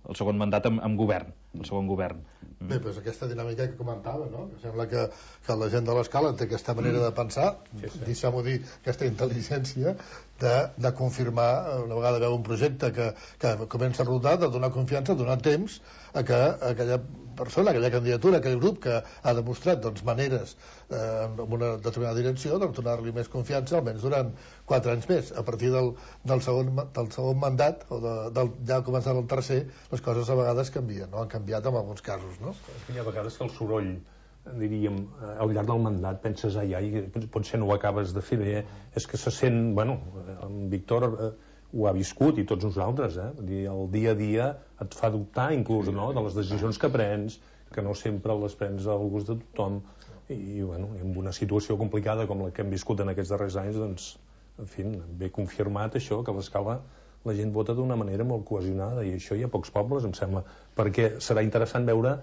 El segon mandat amb, amb govern, el segon govern. Bé, doncs aquesta dinàmica que comentava, no? Que sembla que, que la gent de l'escala té aquesta manera de pensar, sí, sí. deixem-ho dir, aquesta intel·ligència de, de confirmar, una vegada veu un projecte que, que comença a rodar, de donar confiança, donar temps a que a aquella persona, aquella candidatura, aquell grup que ha demostrat doncs, maneres eh, en una determinada direcció, doncs donar-li més confiança, almenys durant quatre anys més. A partir del, del, segon, del segon mandat, o de, del, ja començar el tercer, les coses a vegades canvien, no? Han canviat en alguns casos, no? És que hi ha vegades que el soroll, diríem, al llarg del mandat penses, ai, ai, potser no ho acabes de fer bé, és que se sent, bueno, en Víctor eh, ho ha viscut i tots nosaltres, eh? Vull dir, el dia a dia et fa dubtar inclús, no?, de les decisions que prens, que no sempre les prens al gust de tothom, i, bueno, en una situació complicada com la que hem viscut en aquests darrers anys, doncs, en fi, ve confirmat això, que a l'escala la gent vota d'una manera molt cohesionada, i això hi ha pocs pobles, em sembla, perquè serà interessant veure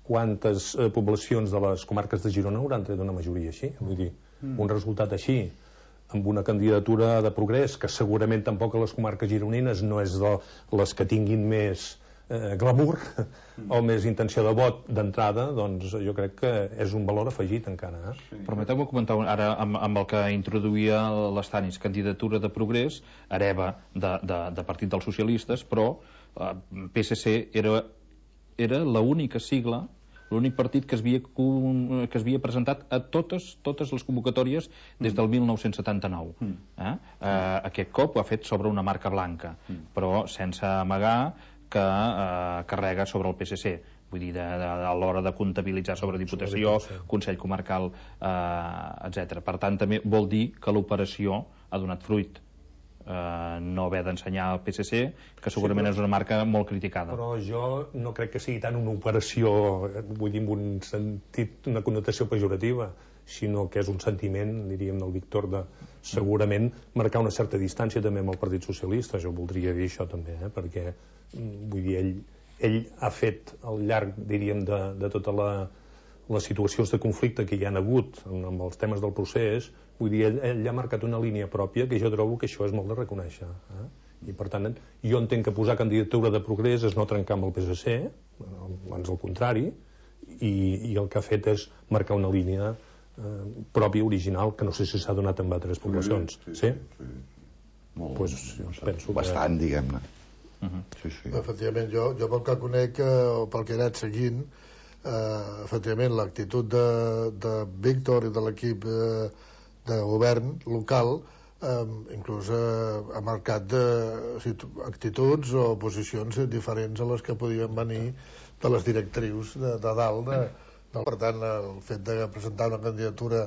quantes eh, poblacions de les comarques de Girona hauran tret una majoria així. Vull dir, mm. un resultat així, amb una candidatura de progrés, que segurament tampoc a les comarques gironines no és de les que tinguin més eh, glamour mm. o més intenció de vot d'entrada, doncs jo crec que és un valor afegit encara. Eh? Sí. Permeteu-me comentar ara amb, amb el que introduïa l'Estanis, candidatura de progrés, hereva de, de, de Partit dels Socialistes, però eh, P S C era era l'única sigla, l'únic partit que es havia, que es havia presentat a totes, totes les convocatòries des del mil nou-cents setanta-nou. Mm. Eh? Eh, aquest cop ho ha fet sobre una marca blanca, mm. però sense amagar que eh, carrega sobre el P S C. Vull dir, de, de, a l'hora de comptabilitzar sobre Diputació, Consell Comarcal, eh, etcètera. Per tant, també vol dir que l'operació ha donat fruit. Uh, no haver d'ensenyar al P S C, que segurament sí, però, és una marca molt criticada. Però jo no crec que sigui tant una operació, vull dir, en un sentit, una connotació pejorativa. sinó que és un sentiment, diríem, del Víctor, de segurament marcar una certa distància també amb el Partit Socialista. Jo voldria dir això també, eh? Perquè, vull dir, ell, ell ha fet al llarg, diríem, de, de tota la, les situacions de conflicte que hi han hagut amb els temes del procés, vull dir, ell, ell ha marcat una línia pròpia que jo trobo que això és molt de reconèixer. Eh? I per tant, jo entenc que posar candidatura de progrés és no trencar amb el P S C, abans al contrari, i, i el que ha fet és marcar una línia eh, pròpia, original, que no sé si s'ha donat en altres poblacions. Sí? sí, sí. Molt, pues, jo penso bastant, que... diguem-ne. Uh -huh. sí, sí. Efectivament, jo, jo pel que conec, eh, o pel que he anat seguint, eh, efectivament, l'actitud de, de Víctor i de l'equip eh, de govern local Um, inclús uh, ha marcat de, actituds o posicions diferents a les que podien venir de les directrius de, de dalt de, de, per tant, el fet de presentar una candidatura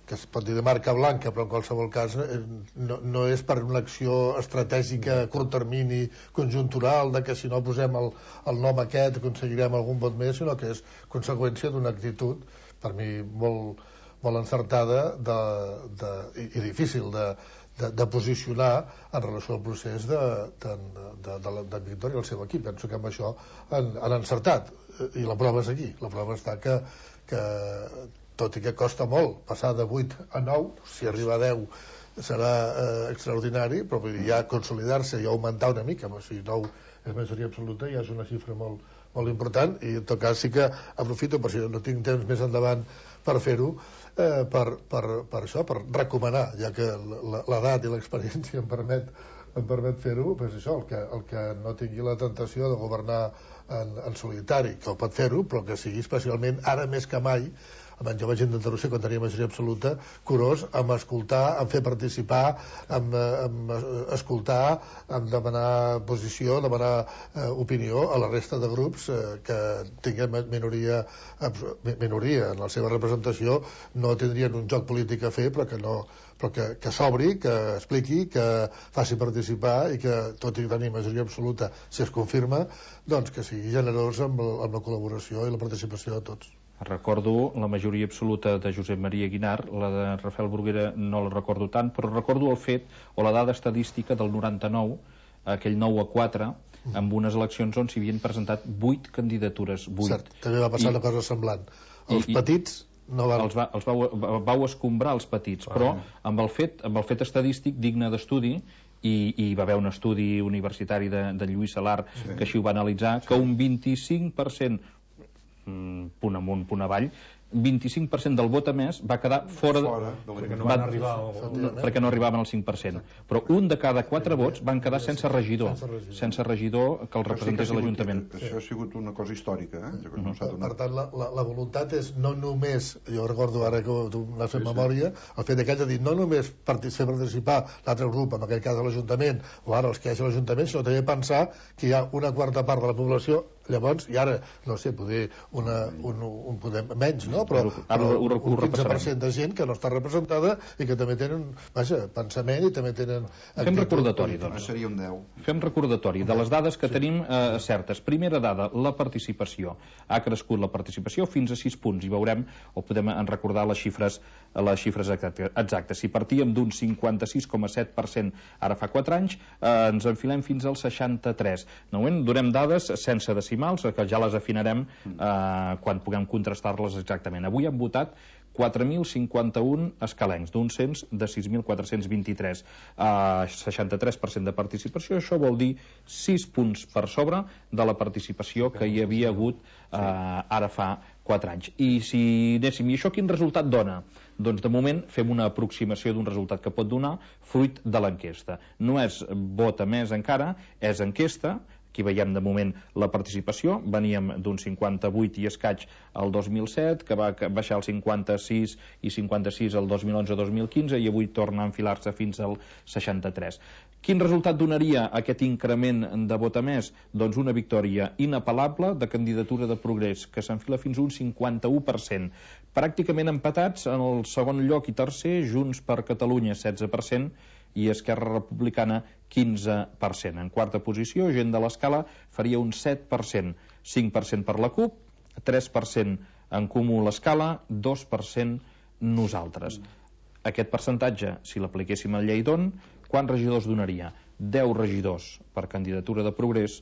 que es pot dir de marca blanca, però en qualsevol cas no, no és per una acció estratègica a curt termini, conjuntural, de que si no posem el, el nom aquest aconseguirem algun vot més, sinó que és conseqüència d'una actitud per mi molt molt encertada de, de, i, i difícil de, de, de posicionar en relació al procés de, de, de, de, de Víctor i el seu equip. Penso que amb això han, han encertat, i la prova és aquí. La prova està que, que tot i que costa molt passar de vuit a nou, si arriba a deu serà eh, extraordinari, però vull dir, ja consolidar-se i augmentar una mica, o sigui, nou és majoria absoluta, ja és una xifra molt, molt important, i en tot cas sí que aprofito, per si no tinc temps més endavant per fer-ho, eh, per, per, per això, per recomanar, ja que l'edat i l'experiència em permet, em permet fer-ho, doncs això, el que, el que no tingui la tentació de governar en, en solitari, que ho pot fer-ho, però que sigui especialment, ara més que mai, jo vaig intentar-ho ser quan tenia majoria absoluta, curós amb escoltar, amb fer participar, amb, amb escoltar, amb demanar posició, demanar eh, opinió a la resta de grups eh, que tinguem minoria, minoria en la seva representació, no tindrien un joc polític a fer, però que no però que, que s'obri, que expliqui, que faci participar i que, tot i tenir majoria absoluta, si es confirma, doncs que sigui generós amb, amb la col·laboració i la participació de tots. Recordo la majoria absoluta de Josep Maria Guinar, la de Rafael Bruguera no la recordo tant, però recordo el fet, o la dada estadística del noranta-nou, aquell nou a quatre, amb unes eleccions on s'hi havien presentat vuit candidatures, vuit. Cert, també va passar I, una cosa semblant. Els i, petits no van... Els, va, els vau, vau escombrar els petits, ah, però amb el fet, amb el fet estadístic digne d'estudi, i, i va haver un estudi universitari de, de Lluís Salar sí. que així ho va analitzar, sí. que un vint-i-cinc per cent punt amunt, punt avall, vint-i-cinc per cent del vot emès va quedar fora, fora de, perquè, no van arribar al... perquè no arribaven al cinc per cent, però un de cada quatre vots van quedar sense regidor, sense regidor que el representés a l'Ajuntament. Això ha sigut una cosa històrica, eh? Uh -huh. Per tant, la, la, la voluntat és no només, jo recordo ara que tu m'has fet sí, memòria, sí. el fet d'aquell de dir no només fer participar l'altre grup, en aquest cas de l'Ajuntament, o ara els que hi hagi a l'Ajuntament, sinó també pensar que hi ha una quarta part de la població, llavors, i ara, no sé, poder una, un, un poder menys, no? Però, però un, un quinze per cent de gent que no està representada i que també tenen, vaja, pensament i també tenen... Fem recordatori, doncs. Seria un deu. Fem recordatori de les dades que sí. tenim eh, certes. Primera dada, la participació. Ha crescut la participació fins a sis punts i veurem, o podem recordar les xifres, les xifres exactes. Si partíem d'un cinquanta-sis coma set per cent ara fa quatre anys, eh, ens enfilem fins al seixanta-tres. No, donem dades sense decimals, que ja les afinarem eh, quan puguem contrastar-les exactament. Avui han votat quatre mil cinquanta-un escalencs, d'un cens de sis mil quatre-cents vint-i-tres. Uh, seixanta-tres per cent de participació, això vol dir sis punts per sobre de la participació que hi havia hagut uh, ara fa quatre anys. I si anéssim, i això quin resultat dona? Doncs de moment fem una aproximació d'un resultat que pot donar fruit de l'enquesta. No és vot emès encara, és enquesta. Aquí veiem de moment la participació, veníem d'un cinquanta-vuit i escaig al dos mil set, que va baixar al cinquanta-sis i cinquanta-sis al dos mil onze dos mil quinze i avui torna a enfilar-se fins al seixanta-tres. Quin resultat donaria aquest increment de vot emès? Doncs una victòria inapel·lable de candidatura de progrés, que s'enfila fins a un cinquanta-u per cent. Pràcticament empatats en el segon lloc i tercer, Junts per Catalunya setze per cent i Esquerra Republicana quinze per cent. En quarta posició, Gent de l'Escala faria un set per cent, cinc per cent per la CUP, tres per cent en Comú l'Escala, dos per cent nosaltres. Aquest percentatge, si l'apliquéssim a Lleidon, quants regidors donaria? deu regidors per candidatura de Progrés,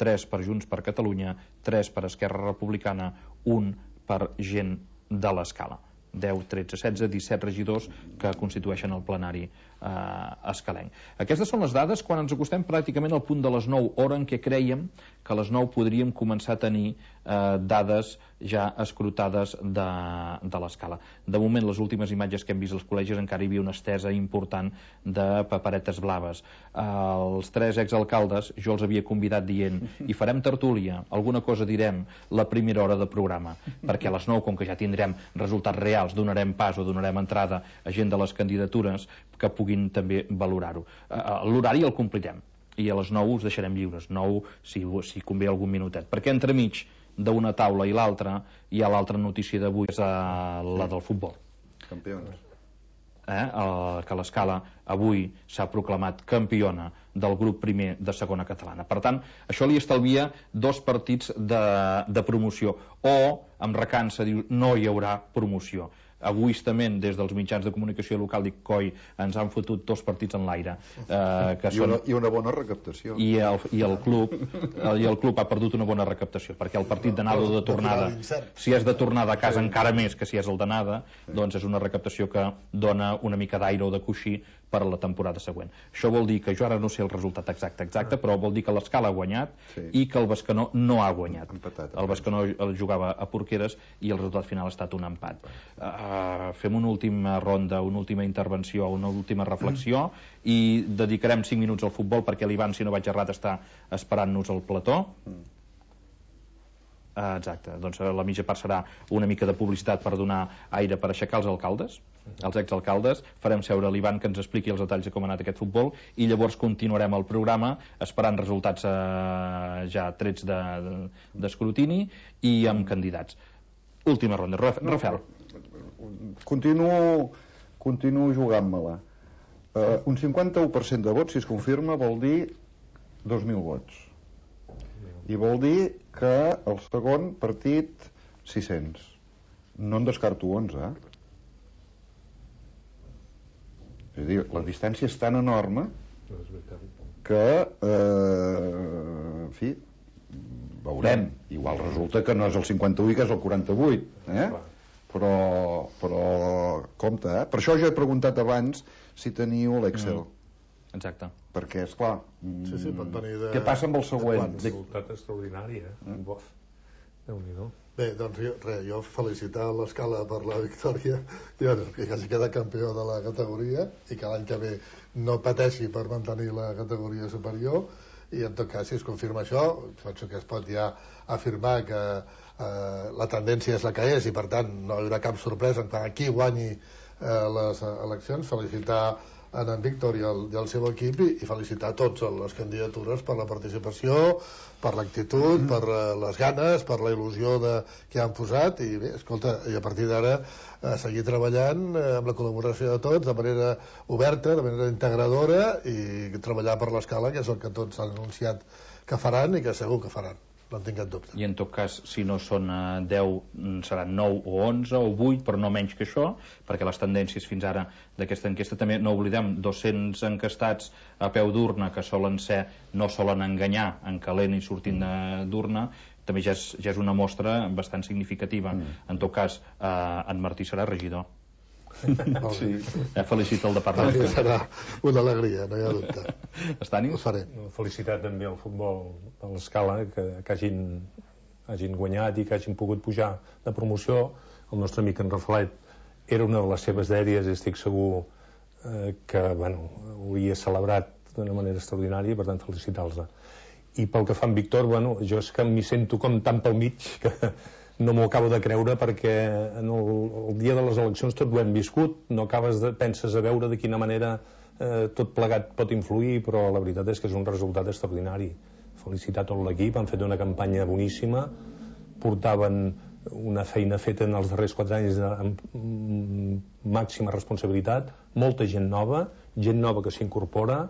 tres per Junts per Catalunya, tres per Esquerra Republicana, un per Gent de l'Escala. deu, tretze, setze, disset regidors que constitueixen el plenari eh, escalenc. Aquestes són les dades quan ens acostem pràcticament al punt de les nou, hora en què creiem que a les nou podríem començar a tenir eh, dades ja escrutades de, de l'escala. De moment, les últimes imatges que hem vist als col·legis encara hi havia una estesa important de paperetes blaves. Eh, els tres exalcaldes, jo els havia convidat dient i farem tertúlia, alguna cosa direm la primera hora de programa, perquè a les nou, com que ja tindrem resultats reals, donarem pas o donarem entrada a gent de les candidatures que puguin també valorar-ho. Eh, l'horari el complirem i a les nou us deixarem lliures, nou si, si convé algun minutet, perquè entremig d'una taula i l'altra hi ha l'altra notícia d'avui, és la del futbol. Campions. Eh? El, que l'Escala avui s'ha proclamat campiona del grup primer de segona catalana. Per tant, això li estalvia dos partits de, de promoció, o amb recança diu no hi haurà promoció. Egoistament, des dels mitjans de comunicació local i coi, ens han fotut dos partits en l'aire. Eh, que I, una, són... I una bona recaptació. I el, i, el club, el, I el club ha perdut una bona recaptació, perquè el partit d'anada o de tornada, si és de tornada a casa encara més que si és el d'anada, doncs és una recaptació que dona una mica d'aire o de coixí per a la temporada següent. Això vol dir que jo ara no sé el resultat exacte, exacte, però vol dir que l'Escala ha guanyat sí. i que el Bescanó no ha guanyat. Empatat, el Bescanó el jugava a Porqueres i el resultat final ha estat un empat. Uh, fem una última ronda, una última intervenció, una última reflexió mm. i dedicarem cinc minuts al futbol perquè l'Ivan, si no vaig errat, està esperant-nos al plató. Mm. Uh, exacte, doncs la mitja part serà una mica de publicitat per donar aire per aixecar els alcaldes, els exalcaldes, farem seure l'Ivan que ens expliqui els detalls de com ha anat aquest futbol i llavors continuarem el programa esperant resultats uh, ja trets d'escrutini de, de, i amb candidats. Última ronda, Rafael. Continuo, continuo jugant-me-la. Uh, un cinquanta-u per cent de vots, si es confirma, vol dir dos mil vots. I vol dir que el segon partit sis-cents. No en descarto onze, eh? És a dir, la distància és tan enorme que eh, en fi, veurem. Igual resulta que no és el cinquanta-vuit que és el quaranta-vuit, eh? Però, però compte, eh? Per això jo he preguntat abans si teniu l'Excel. Mm. Exacte. Perquè, esclar, sí, sí, pot venir de... què passa amb el següent? Un resultat extraordinari, eh? Mm. Bof. Déu-n'hi-do. Bé, doncs jo, re, jo felicitar l'Escala per la victòria i bueno, que hagi quedat campió de la categoria i que l'any que ve no pateixi per mantenir la categoria superior i en tot cas, si es confirma això, penso que es pot ja afirmar que eh, la tendència és la que és i per tant no hi haurà cap sorpresa en tant qui guanyi eh, les eleccions. Felicitar en en Víctor i el, i el seu equip i, i felicitar tots les candidatures per la participació, per l'actitud, mm. per uh, les ganes, per la il·lusió de, que han posat i bé, escolta, i a partir d'ara uh, seguir treballant uh, amb la col·laboració de tots de manera oberta, de manera integradora i treballar per l'Escala, que és el que tots han anunciat que faran i que segur que faran. No en tinc cap dubte. I en tot cas, si no són uh, deu, seran nou o onze o vuit, però no menys que això, perquè les tendències fins ara d'aquesta enquesta, també no oblidem, dos-cents encastats a peu d'urna, que solen ser, no solen enganyar en calent i sortint d'urna, també ja és, ja és una mostra bastant significativa. Mm. En tot cas, uh, en Martí serà regidor. Sí. Ja felicita el departament. Sí, serà una alegria, no hi ha dubte. Estani? Ho faré. Felicitat també al futbol de l'Escala que, que hagin, hagin guanyat i que hagin pogut pujar de promoció. El nostre amic en Rafalet era una de les seves dèries i estic segur eh, que bueno, ho havia celebrat d'una manera extraordinària i per tant felicitar-los. I pel que fa en Víctor, bueno, jo és que m'hi sento com tan pel mig que no m'ho acabo de creure perquè en el, el dia de les eleccions tot ho hem viscut, no acabes de, penses a veure de quina manera eh, tot plegat pot influir, però la veritat és que és un resultat extraordinari. Felicitar tot l'equip, han fet una campanya boníssima, portaven una feina feta en els darrers quatre anys amb màxima responsabilitat, molta gent nova, gent nova que s'incorpora,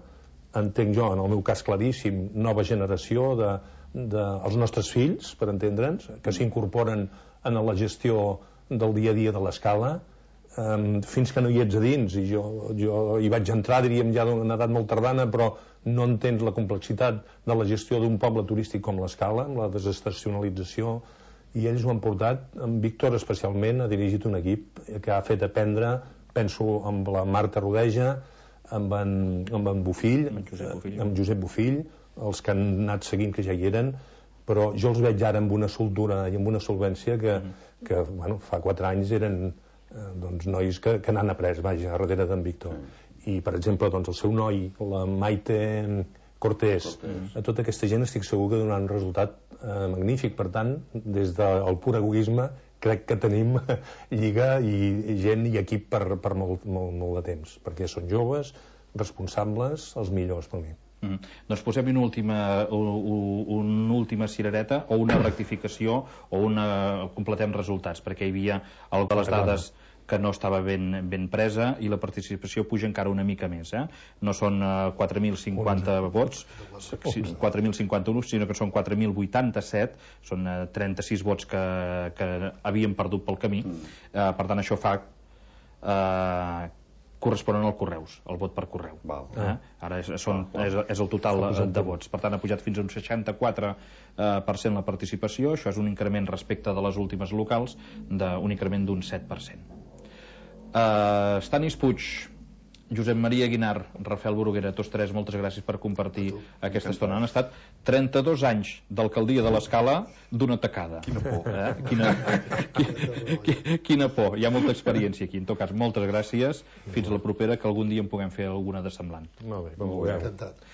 entenc jo, en el meu cas claríssim, nova generació de dels nostres fills, per entendre'ns, que s'incorporen en la gestió del dia a dia de l'Escala, fins que no hi ets a dins, i jo hi vaig entrar, diríem, ja d'una edat molt tardana, però no entens la complexitat de la gestió d'un poble turístic com l'Escala, amb la desestacionalització, i ells ho han portat, en Víctor especialment ha dirigit un equip que ha fet aprendre, penso amb la Marta Rodeja, amb en, amb en Bofill, amb Josep Bofill. amb Josep Bofill, els que han anat seguint que ja hi eren, però jo els veig ara amb una soltura i amb una solvència que, mm. que bueno, fa quatre anys eren eh, doncs, nois que, que n'han après, vaja, darrere d'en Víctor. Mm. I, per exemple, doncs, el seu noi, la Maite Cortés, Cortés, a tota aquesta gent estic segur que donaran un resultat eh, magnífic. Per tant, des del pur egoisme, crec que tenim lliga i gent i equip per, per molt, molt, molt de temps, perquè són joves, responsables, els millors per mi. Mm. Doncs posem una última, una última cirereta o una rectificació o una... completem resultats, perquè hi havia el de les dades que no estava ben, ben presa i la participació puja encara una mica més, eh? No són uh, quatre mil cinquanta vots, quatre mil cinquanta-un, sinó que són quatre mil vuitanta-set, són uh, trenta-sis vots que, que havien perdut pel camí. Uh, per tant, això fa uh, corresponen als correus, el vot per correu. Val. Eh? Ara és, són, és, és el total de vots. Per tant, ha pujat fins a un seixanta-quatre per cent la participació. Això és un increment respecte de les últimes locals, d'un increment d'un set per cent. Uh, Stanis Puig, Josep Maria Guinar, Rafael Bruguera, tots tres, moltes gràcies per compartir aquesta estona. Han estat trenta-dos anys d'alcaldia de l'Escala d'una tacada. Quina por, eh? Quina, quina, quina por. Hi ha molta experiència aquí. En tot cas, moltes gràcies. Fins a la propera, que algun dia en puguem fer alguna de semblant. Molt bé, com ho veurem. Encantat.